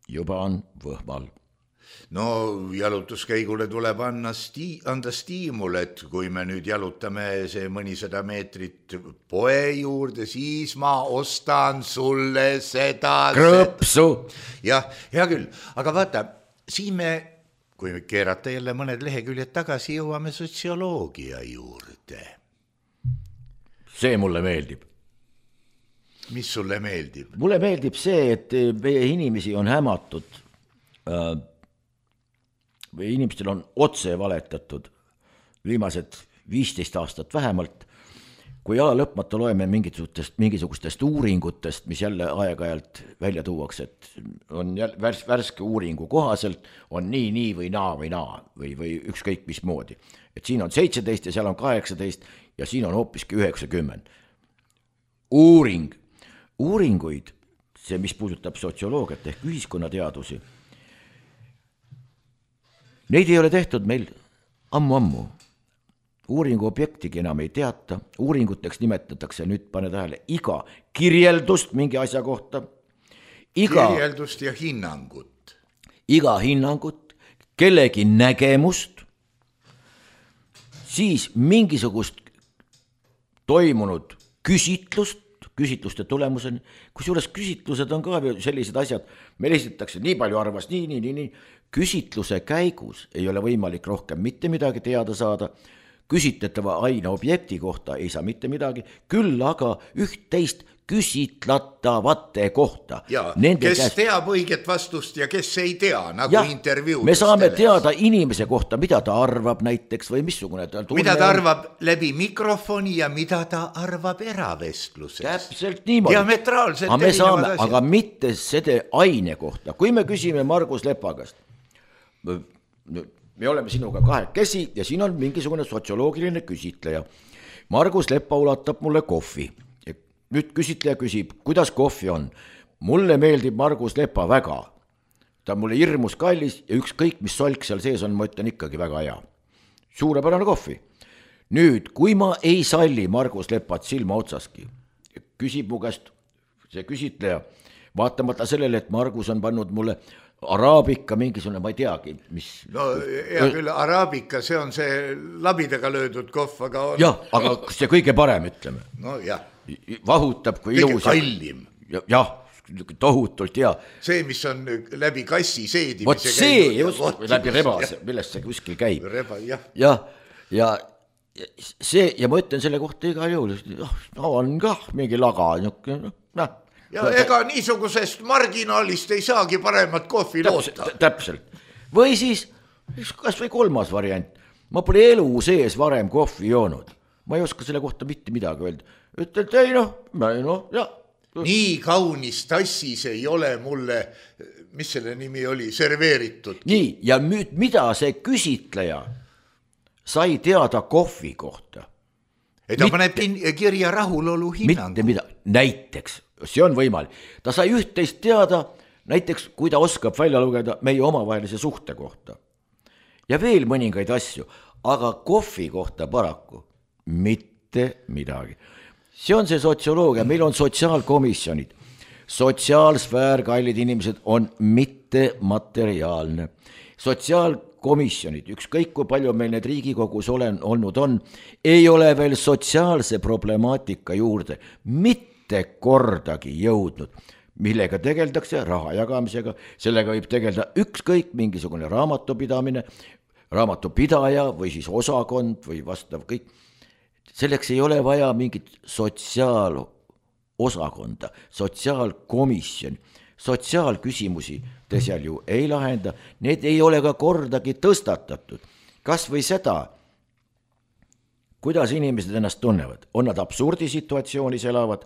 juba on võhmal. No jalutuskäigule tuleb anna sti- anda stiimul, et kui me nüüd jalutame see mõnisada meetrit poe juurde, siis ma ostan sulle seda... Krõpsu! Jah, hea küll, aga vaata, siin me kui keerata jälle mõned leheküljed tagasi, jõuame sotsioloogia juurde. See mulle meeldib. Mis sulle meeldib? Mulle meeldib see, et meie inimesi on hämatud. Meie inimestel on otse valetatud viimased viisteist aastat vähemalt. Kui ala lõpmata loeme mingisugustest, mingisugustest uuringutest, mis jälle aeg-ajalt välja tuuakse, et on jälle värs, värske uuringu kohaselt, on nii, nii või naa või naa või, või ükskõik mis moodi. Et siin on seitseteist ja seal on kaheksateist ja siin on hoopiski üheksakümmend. Uuring, uuringuid see, mis puudutab sotsioloogiat ehk ühiskonnateadusi, neid ei ole tehtud meil ammu-ammu. Uuringu objektigi enam ei teata, uuringuteks nimetatakse nüüd, pane tähele, iga kirjeldust mingi asja kohta, iga kirjeldust ja hinnangut. Iga hinnangut, kellegi nägemust, siis mingisugust toimunud küsitlust, küsitluste tulemuseni, kusjuures küsitlused on ka sellised asjad, meil esitatakse nii palju arvas, nii, nii, nii, nii, küsitluse käigus ei ole võimalik rohkem mitte midagi teada saada, küsitletava aine objekti kohta ei saa mitte midagi, küll aga üht-teist küsitlatavate kohta. Ja, Nende kes käest... teab õiget vastust ja kes ei tea, nagu ja, intervjuudest. Me saame teada inimese kohta, mida ta arvab näiteks või missugune ta tunne. Mida ta arvab läbi mikrofoni ja mida ta arvab eravestluses. Täpselt niimoodi. Diametraalselt aga, saame, aga mitte selle aine kohta. Kui me küsime Margus Lepagast, me oleme sinuga kahekesi ja siin on mingisugune sotsioloogiline küsitleja. Margus Lepa ulatab mulle kohvi. Nüüd küsitleja küsib, kuidas kohvi on. Mulle meeldib Margus Lepa väga. Ta on mulle hirmus kallis ja ükskõik, mis solk seal sees on, ma ütlen ikkagi väga hea. Suurepärane kohvi. Nüüd, kui ma ei salli Margus Lepat silma otsaski, küsib mu käest see küsitleja, vaatamata sellele, et Margus on pannud mulle araabika mingisugune, ma ei teagi, mis... No hea küll, araabika, see on see labidaga löödud kohv, aga... On... Jah, aga see kõige parem, ütleme. No jah. Vahutab kui ilus. Kõige kallim. Jah, tohutult hea. See, mis on läbi kassi seedimise. Vot see, just, läbi rebase, millest see kuskil käib. Reba, jah. Ja, ja see, ja ma ütlen selle kohta igal juhul, on kah mingi laga, noh, ja ega niisugusest marginaalist ei saagi paremat kohvi loota. Täpselt. Või siis, kas või kolmas variant, ma pole elu sees varem kohvi joonud. Ma ei oska selle kohta mitte midagi öelda. Ütled, ei noh, noh, jah. Nii kaunis tassis ei ole mulle, mis selle nimi oli, serveeritud. Nii, ja nüüd mida see küsitleja sai teada kohvi kohta? Et ta paneb kirja rahulolu hinnangu. Mitte mida, näiteks, see on võimalik. Ta sai üht-teist teada, näiteks kui ta oskab välja lugeda meie omavahelise suhte kohta. Ja veel mõningaid asju, aga kohvi kohta paraku mitte midagi. See on see sotsioloogia, meil on sotsiaalkomisjonid. Sotsiaalsfäär, kallid inimesed, on mitte materiaalne. Sotsiaalkomisjonid, ükskõik kui palju meil need Riigikogus olen, olnud on, ei ole veel sotsiaalse problemaatika juurde mitte kordagi jõudnud, millega tegeldakse raha jagamisega, sellega võib tegelda ükskõik mingisugune raamatupidamine, raamatupidaja või siis osakond või vastav kõik. Selleks ei ole vaja mingit sotsiaalosakonda, sotsiaalkomisjoni, sotsiaalküsimusi te seal ju ei lahenda, need ei ole ka kordagi tõstatatud. Kas või seda, kuidas inimesed ennast tunnevad, on nad absurdisituatsioonis elavad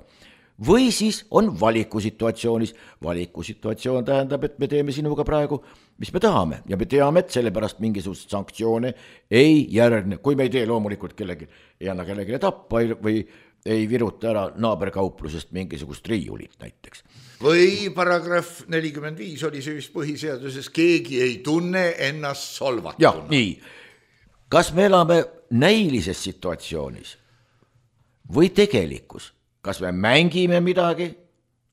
või siis on valikusituatsioonis. Valikusituatsioon tähendab, et me teeme sinuga praegu, mis me tahame ja me teame, et sellepärast mingisugust sanktsioone ei järgne, kui me ei tee loomulikult kellegi, ei anna kellegi tappa või ei viruta ära naaberkauplusest mingisugust riiulit näiteks. Või paragrahv nelikümmend viis oli see vist põhiseaduses, keegi ei tunne ennast solvatuna. Jah, nii. Kas me elame näilises situatsioonis või tegelikus? Kas me mängime midagi,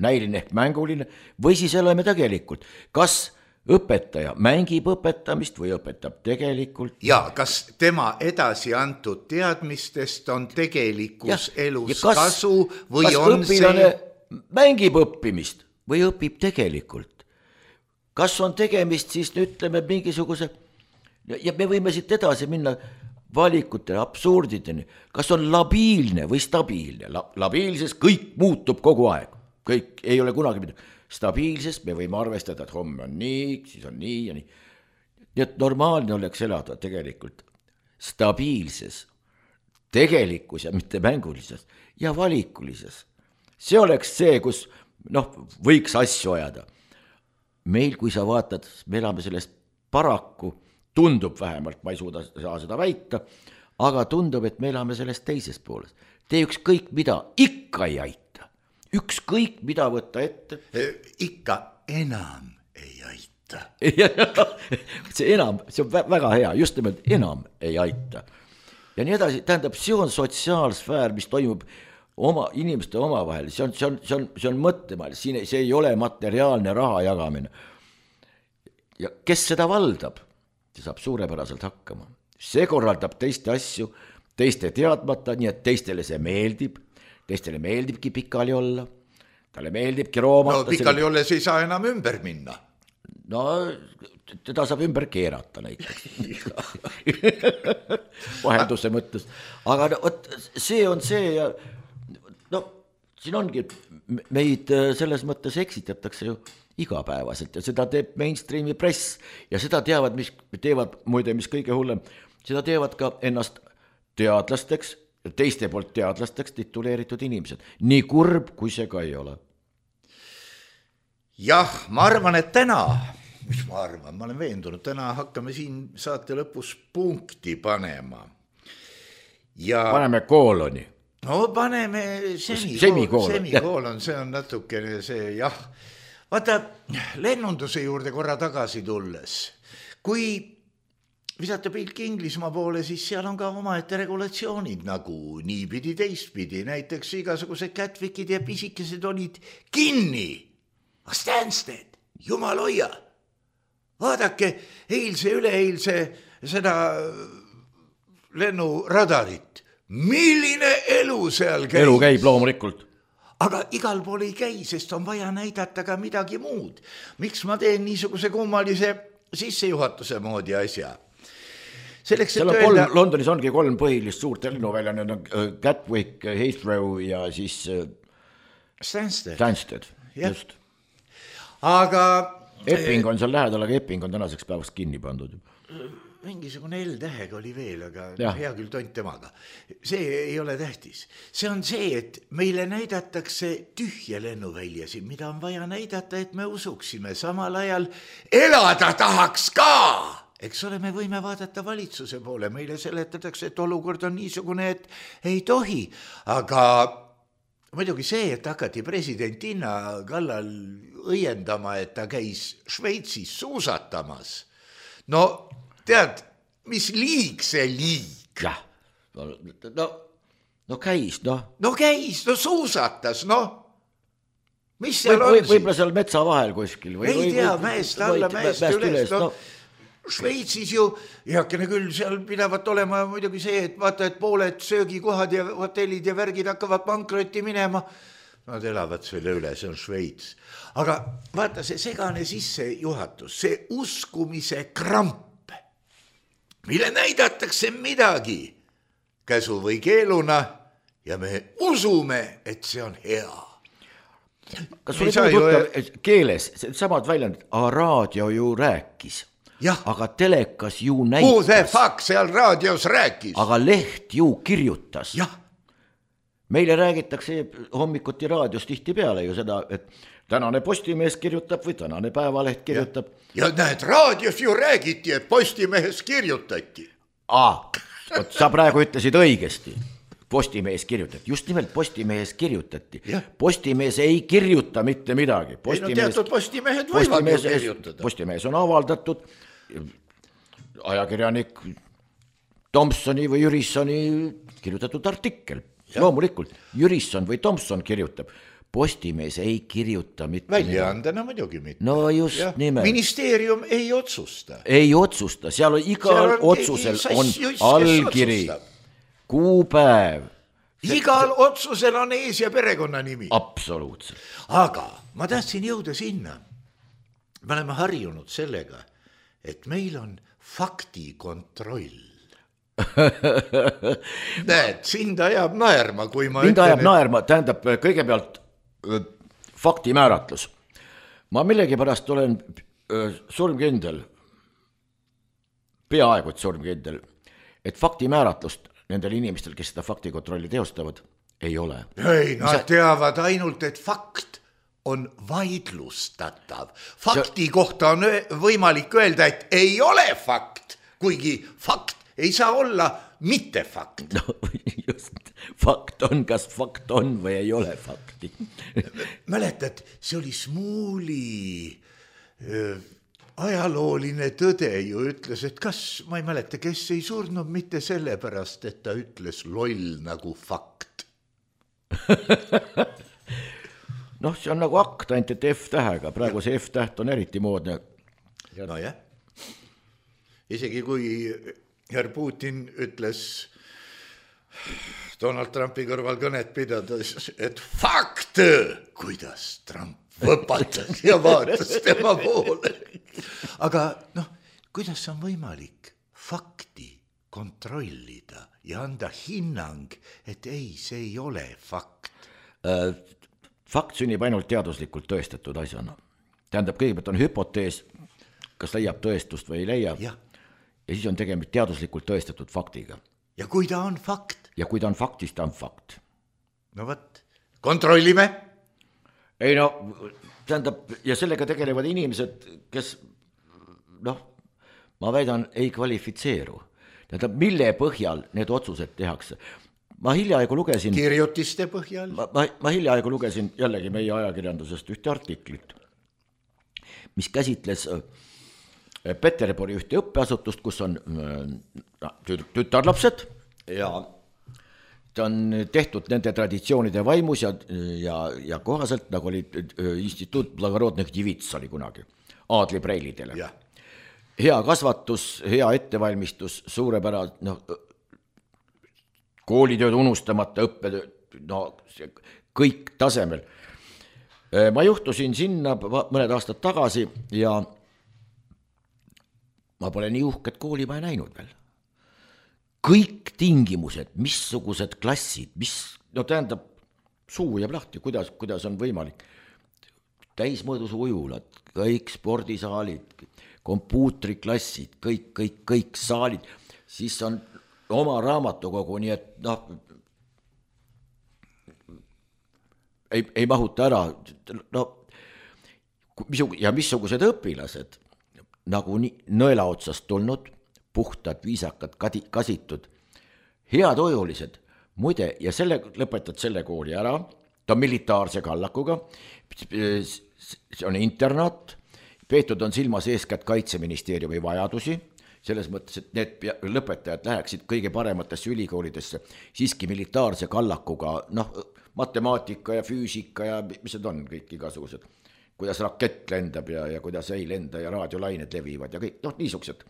näiline ehk mänguline, või siis elame tegelikult? Kas õpetaja mängib õpetamist või õpetab tegelikult? Ja kas tema edasi antud teadmistest on tegelikus ja, elus ja kas, kasu või kas on õpilane see... mängib õppimist või õpib tegelikult? Kas on tegemist siis, ütleme, mingisuguse, ja me võime siit edasi minna valikutele, absurdideni, kas on labiilne või stabiilne. La, labiilses kõik muutub kogu aeg, kõik ei ole kunagi midagi. Stabiilses me võime arvestada, et homme on nii, siis on nii ja nii. Nii et normaalne oleks elada tegelikult stabiilses, tegelikus ja mitte mängulises ja valikulises. See oleks see, kus noh, võiks asju ajada. Meil, kui sa vaatad, me elame sellest paraku, tundub vähemalt, ma ei suuda saa seda väita, aga tundub, et me elame sellest teises pooles. Tee ükskõik mida, ikka ei aita. ükskõik mida võtta ette. Ikka enam ei aita. see enam, see on väga hea, just nimelt enam ei aita. Ja nii edasi, tähendab, see on sotsiaalsfäär, mis toimub oma inimeste omavahel, see on, see on, see on, see on mõttemaal, siin see ei ole materiaalne raha jagamine. Ja kes seda valdab, see saab suurepäraselt hakkama. See korraldab teiste asju, teiste teadmata, nii et teistele see meeldib, teistele meeldibki pikali olla, talle meeldibki roomata. No pikali selle... olles ei saa enam ümber minna. No teda saab ümber keerata näiteks. Vahenduse mõttes. Aga no, see on see ja no siin ongi, meid selles mõttes eksitatakse ju igapäevaselt ja seda teeb mainstreami press ja seda teavad, mis teevad muide, mis kõige hullem, seda teevad ka ennast teadlasteks, teiste poolt teadlasteks tituleeritud inimesed. Nii kurb, kui see ka ei ole. Jah, ma arvan, et täna, mis ma arvan, ma olen veendunud, täna hakkame siin saate lõpus punkti panema. Ja... Paneme kooloni. No paneme semikoolon, semikoolon. semikoolon, see on natukene see, jah. Vaata, lennunduse juurde korra tagasi tulles, kui visata pilk Inglismaa poole, siis seal on ka omaette regulatsioonid nagu niipidi teistpidi, näiteks igasugused Catwickid ja pisikesed olid kinni. Stansted, jumal hoia. Vaadake eilse, üleeilse seda lennuradarit. Milline elu seal käib? Elu käib loomulikult. Aga igal pool ei käi, sest on vaja näidata ka midagi muud. Miks ma teen niisuguse kummalise sissejuhatuse moodi asja? Selleks, et öelda... öelda... kolm, Londonis ongi kolm põhilist suurt lennuvälja, need on Gatwick, Heathrow ja siis Stansted. Stansted, just. Aga... Epping on seal lähedal, aga Epping on tänaseks päevast kinni pandud. Mingisugune L-täheg oli veel, aga ja. Hea küll tont temaga. See ei ole tähtis. See on see, et meile näidatakse tühje lennuväljasid, mida on vaja näidata, et me usuksime. Samal ajal elada tahaks ka. Eks ole, me võime vaadata valitsuse poole. Meile seletatakse, et olukord on niisugune, et ei tohi. Aga muidugi see, et hakati presidentina kallal õiendama, et ta käis Šveitsis suusatamas. No... Tead, mis liig see liig? Jah, no, no käis, noh. No käis, no suusatas, noh. Mis seal või, on või, võib-olla seal metsa vahel kuskil. Või, ei või, tea, või, mäest alla, mäest üles. No, Šveitsis ju, heakene küll, seal pidavat olema muidugi see, et vaata, et pooled söögikohad ja hotellid ja värgid hakkavad pankrotti minema. Nad elavad selle üle, see on Šveits. Aga vaata, see segane sissejuhatus, see uskumise kramp, mille näidatakse midagi käsu või keeluna ja me usume, et see on hea. Kas sul ei tuttav ju... keeles, samad väljendid, aga raadio ju rääkis, ja. Aga telekas ju näitas. Who the fuck seal raadios rääkis? Aga leht ju kirjutas. Jah. Meile räägitakse hommikuti raadios tihti peale ju seda, et tänane Postimees kirjutab või tänane Päevaleht kirjutab. Ja, ja näed, raadios ju räägiti, et Postimehes kirjutati. Aa, võt, sa praegu ütlesid õigesti. Postimees kirjutati, just nimelt Postimehes kirjutati. Ja. Postimees ei kirjuta mitte midagi. Postimees, ei no teatud Postimehed võivad ju kirjutada. Postimees on avaldatud, ajakirjanik Tomsoni või Jürissoni kirjutatud artikkel. Ja. Loomulikult, Jürisson või Tomson kirjutab. Postimees ei kirjuta mitte väljaandena muidugi mitte. No just ja. Nimelt. Ministeerium ei otsusta. Ei otsusta, seal on igal on otsusel on allkiri, kuupäev. Igal see... otsusel on ees ja perekonna nimi. Absoluutselt. Aga ma tahtsin jõuda sinna. Me oleme harjunud sellega, et meil on faktikontroll. Näed, sind ajab naerma, kui ma mind ütlen, ajab et... naerma, tähendab kõigepealt fakti määratlus. Ma millegipärast olen surmkindel, peaaegu et surmkindel, et fakti määratlust nendel inimestel, kes seda faktikontrolli teostavad, ei ole. Ei, nad Sa... teavad ainult, et fakt on vaidlustatav. Fakti See... kohta on võimalik öelda, et ei ole fakt, kuigi fakt ei saa olla mitte fakt. No just, fakt on, kas fakt on või ei ole fakti. Mäletad, see oli Smuuli öö, ajalooline tõde ju ütles, et kas, ma ei mäleta, kes ei surnud mitte sellepärast, et ta ütles loll nagu fakt. Noh, see on nagu akt, ainult et F-tähega, praegu see F-täht on eriti moodne. No jah, isegi kui herr Putin ütles Donald Trumpi kõrval kõnet pidades, et fakt, kuidas Trump võpatas ja vaatas tema poole. Aga noh, kuidas on võimalik fakti kontrollida ja anda hinnang, et ei, see ei ole fakt? Fakt sünnib ainult teaduslikult tõestatud asjana. Tähendab, kõigepealt on hüpotees, kas leiab tõestust või ei leia. Ja, ja siis on tegemist teaduslikult tõestatud faktiga. Ja kui ta on fakt? Ja kui ta on fakt, siis ta on fakt. No võt, kontrollime. Ei no, tähendab, ja sellega tegelevad inimesed, kes, noh, ma väidan, ei kvalifitseeru. Tähendab, mille põhjal need otsused tehakse? Ma hiljaaegu lugesin... Kirjutiste põhjal? Ma, ma, ma hiljaaegu lugesin jällegi meie ajakirjandusest ühte artiklit, mis käsitles Peterburi ühte õppeasutust, kus on tütarlapsed ja ta on tehtud nende traditsioonide vaimus ja, ja, ja kohaselt, nagu oli instituut Blagorodnych Divits oli kunagi, aadli preilidele. Ja. Hea kasvatus, hea ettevalmistus, suurepärane, noh, koolitööd unustamata, õppetööd, no kõik tasemel. Ma juhtusin sinna mõned aastad tagasi ja ma pole nii uhket kooli ma ei näinud veel. Kõik tingimused, missugused klassid, mis, no tähendab, suu jääb lahti, kuidas, kuidas on võimalik. Täismõõdus ujulad, kõik spordisaalid, kompuutriklassid, kõik, kõik, kõik saalid, siis on oma raamatukogu, nii et noh, ei, ei mahuta ära, no, ja missugused õpilased, nagu nõela otsast tulnud, puhtad, viisakad, kasitud, head ojulised, muide, ja selle, lõpetad selle kooli ära, ta on militaarse kallakuga, see on internaat, peetud on silmas eeskätt Kaitseministeeriumi vajadusi, selles mõttes, et need lõpetajad läheksid kõige parematesse ülikoolidesse, siiski militaarse kallakuga, noh, matemaatika ja füüsika ja mis need on kõik igasugused, kuidas rakett lendab ja, ja kuidas ei lenda ja raadiolained levivad ja kõik, noh, niisugused.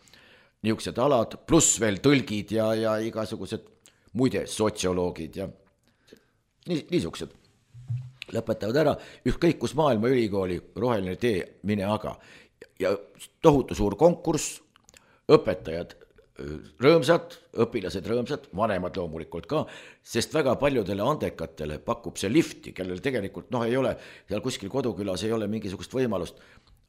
Niisugused alad, pluss veel tõlgid ja, ja igasugused muide sotsioloogid ja niisugused lõpetavad ära, ükskõik kus maailma ülikooli roheline tee, mine aga. Ja tohutu suur konkurss, õpetajad rõõmsad, õpilased rõõmsad, vanemad loomulikult ka, sest väga paljudele andekatele pakub see lifti, kellel tegelikult noh, ei ole, seal kuskil kodukülas ei ole mingisugust võimalust,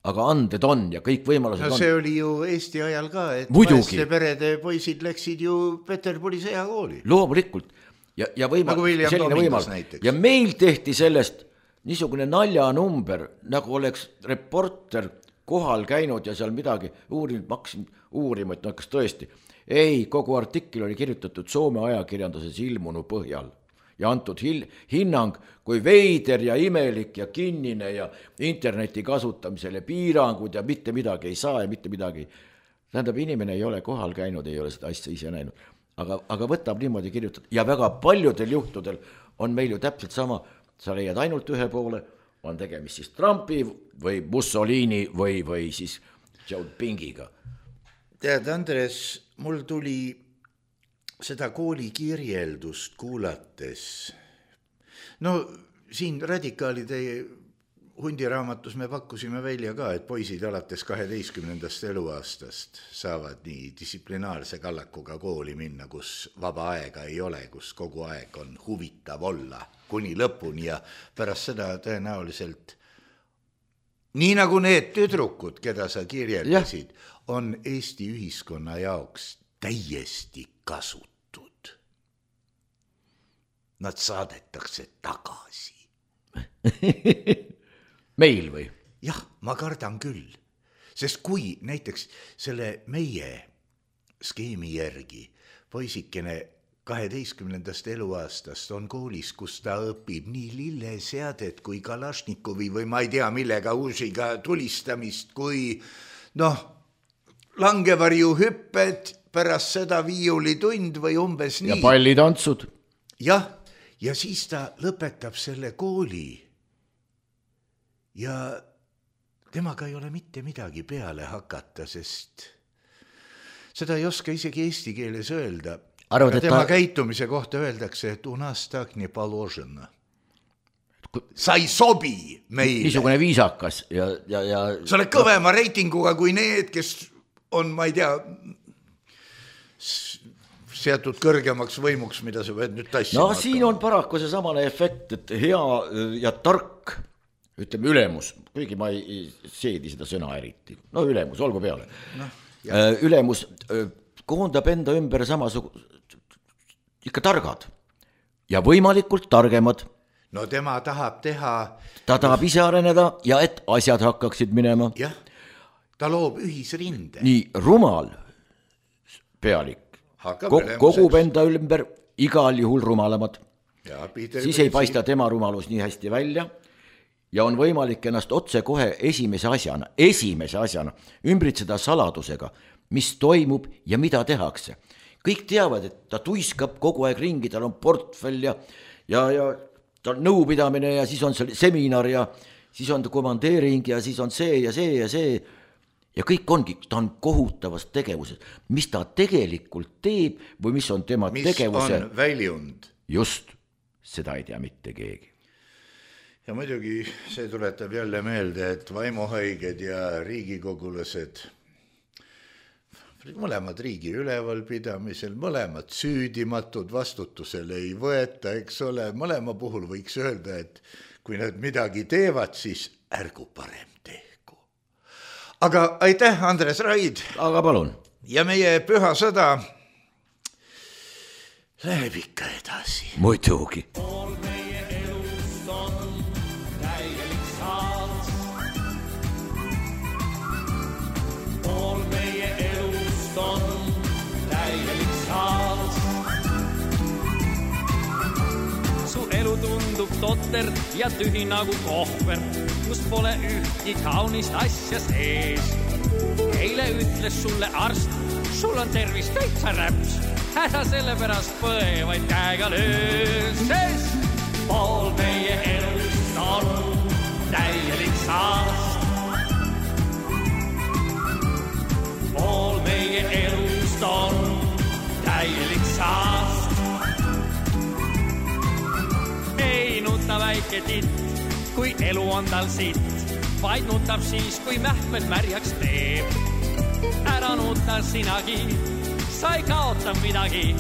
aga anded on ja kõik võimalused no, on. See oli ju Eesti ajal ka, et vaeste perede poisid läksid ju Peterburi sõjakooli. Loomulikult. Ja, ja võimal, nagu selline võimalus. Ja meil tehti sellest niisugune naljanumber, nagu oleks reporter kohal käinud ja seal midagi uurinud, maksin uurima, et no kas tõesti. Ei, kogu artikkel oli kirjutatud Soome ajakirjanduses ilmunu põhjal. Ja antud hinnang, kui veider ja imelik ja kinnine ja interneti kasutamisele piirangud ja mitte midagi ei saa ja mitte midagi. Tähendab, inimene ei ole kohal käinud, ei ole seda asja ise näinud. Aga, aga võtab niimoodi kirjutada. Ja väga paljudel juhtudel on meil ju täpselt sama, sa leiad ainult ühe poole, on tegemist siis Trumpi või Mussolini või, või siis Xiaopingiga. Tead, Andres, mul tuli seda kooli kirjeldust kuulates. No siin radikaalide hundiraamatus me pakkusime välja ka, et poisid alates kaheteistkümnendast eluaastast saavad nii distsiplinaarse kallakuga kooli minna, kus vaba aega ei ole, kus kogu aeg on huvitav olla kuni lõpuni ja pärast seda tõenäoliselt nii nagu need tüdrukud, keda sa kirjeldasid, on Eesti ühiskonna jaoks täiesti kasutud. Nad saadetakse tagasi. Meil või? Jah, ma kardan küll. Sest kui näiteks selle meie skeemi järgi poisikene kaheteistkümnendast eluaastast on koolis, kus ta õpib nii lilleseadet kui Kalašnikovi või ma ei tea millega uusiga tulistamist, kui noh, langevarju hüpped, pärast seda viiulitund või umbes nii. Ja pallitantsud. Jah, ja siis ta lõpetab selle kooli ja temaga ei ole mitte midagi peale hakata, sest seda ei oska isegi eesti keeles öelda. Arvad, tema ta... käitumise kohta öeldakse, et u nas tak ne položena. Sa ei sobi meile. Niisugune viisakas ja, ja, ja... Sa oled kõvema reitinguga kui need, kes on, ma ei tea, seatud kõrgemaks võimuks, mida sa võid nüüd tassima. No siin on paraku see samane efekt, et hea ja tark, ütleme ülemus, kuigi ma ei seedi seda sõna eriti. No ülemus, olgu peale. No, ülemus koondab enda ümber samasugu ikka targad ja võimalikult targemad. No tema tahab teha... Ta tahab ise areneda ja et asjad hakkaksid minema. Jah, ta loob ühisrinde. Nii rumal pealik Ko- kogub enda ümber igal juhul rumalamad. Ja, siis ei paista tema rumalus nii hästi välja ja on võimalik ennast otse kohe esimese asjana, esimese asjana ümbritseda saladusega, mis toimub ja mida tehakse. Kõik teavad, et ta tuiskab kogu aeg ringi, tal on portfell ja, ja, ja ta on nõupidamine ja siis on see seminar ja siis on ta komandeering ja siis on see ja see ja see. Ja kõik ongi, ta on kohutavas tegevuses. Mis ta tegelikult teeb või mis on tema mis tegevuse... Mis on väljund. Just, seda ei tea mitte keegi. Ja muidugi see tuletab jälle meelde, et vaimuhaiged ja riigikogulased, mõlemad riigi ülevalpidamisel, mõlemad süüdimatud, vastutusele ei võeta, eks ole, mõlema puhul võiks öelda, et kui nad midagi teevad, siis ärgu parem tehku. Aga aitäh, Andres Raid. Aga palun. Ja meie püha sõda läheb ikka edasi. Muidugi. Pool meie elust on täielik saats. Pool meie elust on täielik saats. Su elu tundub totter ja tühi nagu kohver, kus pole ühtki kaunist asja sees. Eile ütles sulle arst, sul on tervis täitsa räps, ära selle pärast põe, vaid käega löös, sest pool meie elust on täielik saast. Pool meie elust on täielik saast. Ei nuta väike titt, kui elu on tal sitt, vaid nutab siis, kui mähmed märjaks teeb. Ära nuta sinagi, sa ei kaota midagi,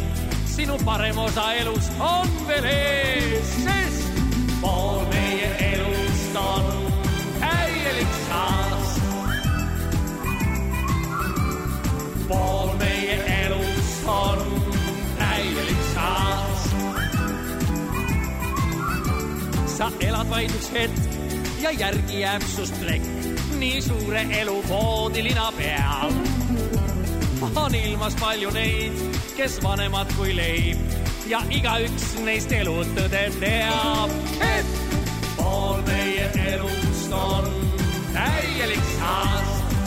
sinu parem osa elust on veel ees, sest pool meie elust on täielik saast. Pool meie elust on täielik saast. Sa elad vaid üks hetk ja järgi jääb sust plekk, nii suure elu voodilina peal. On ilmas palju neid, kes vanemad kui leib ja igaüks neist elutõde teab, et pool meie elust on täielik saast.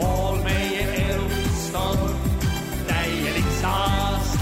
Pool meie elust on täielik saast.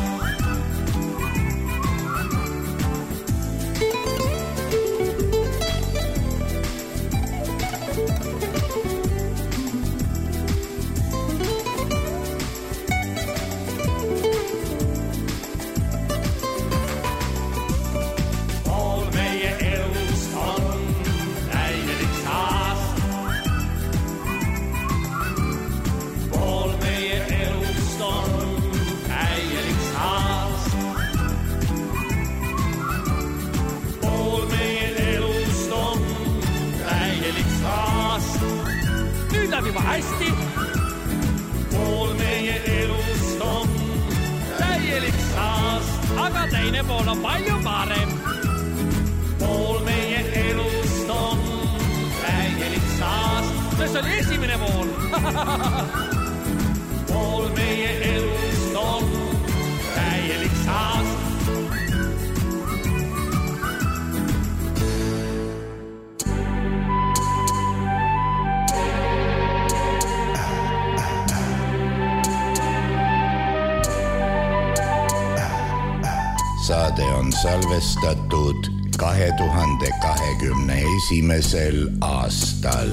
Juba hästi. Pool meie elust on täielik saast, aga teine pool on palju parem. Pool meie elust on täielik saast, see oli esimene pool. Pool saade on salvestatud kahe tuhande kahekümne esimesel aastal.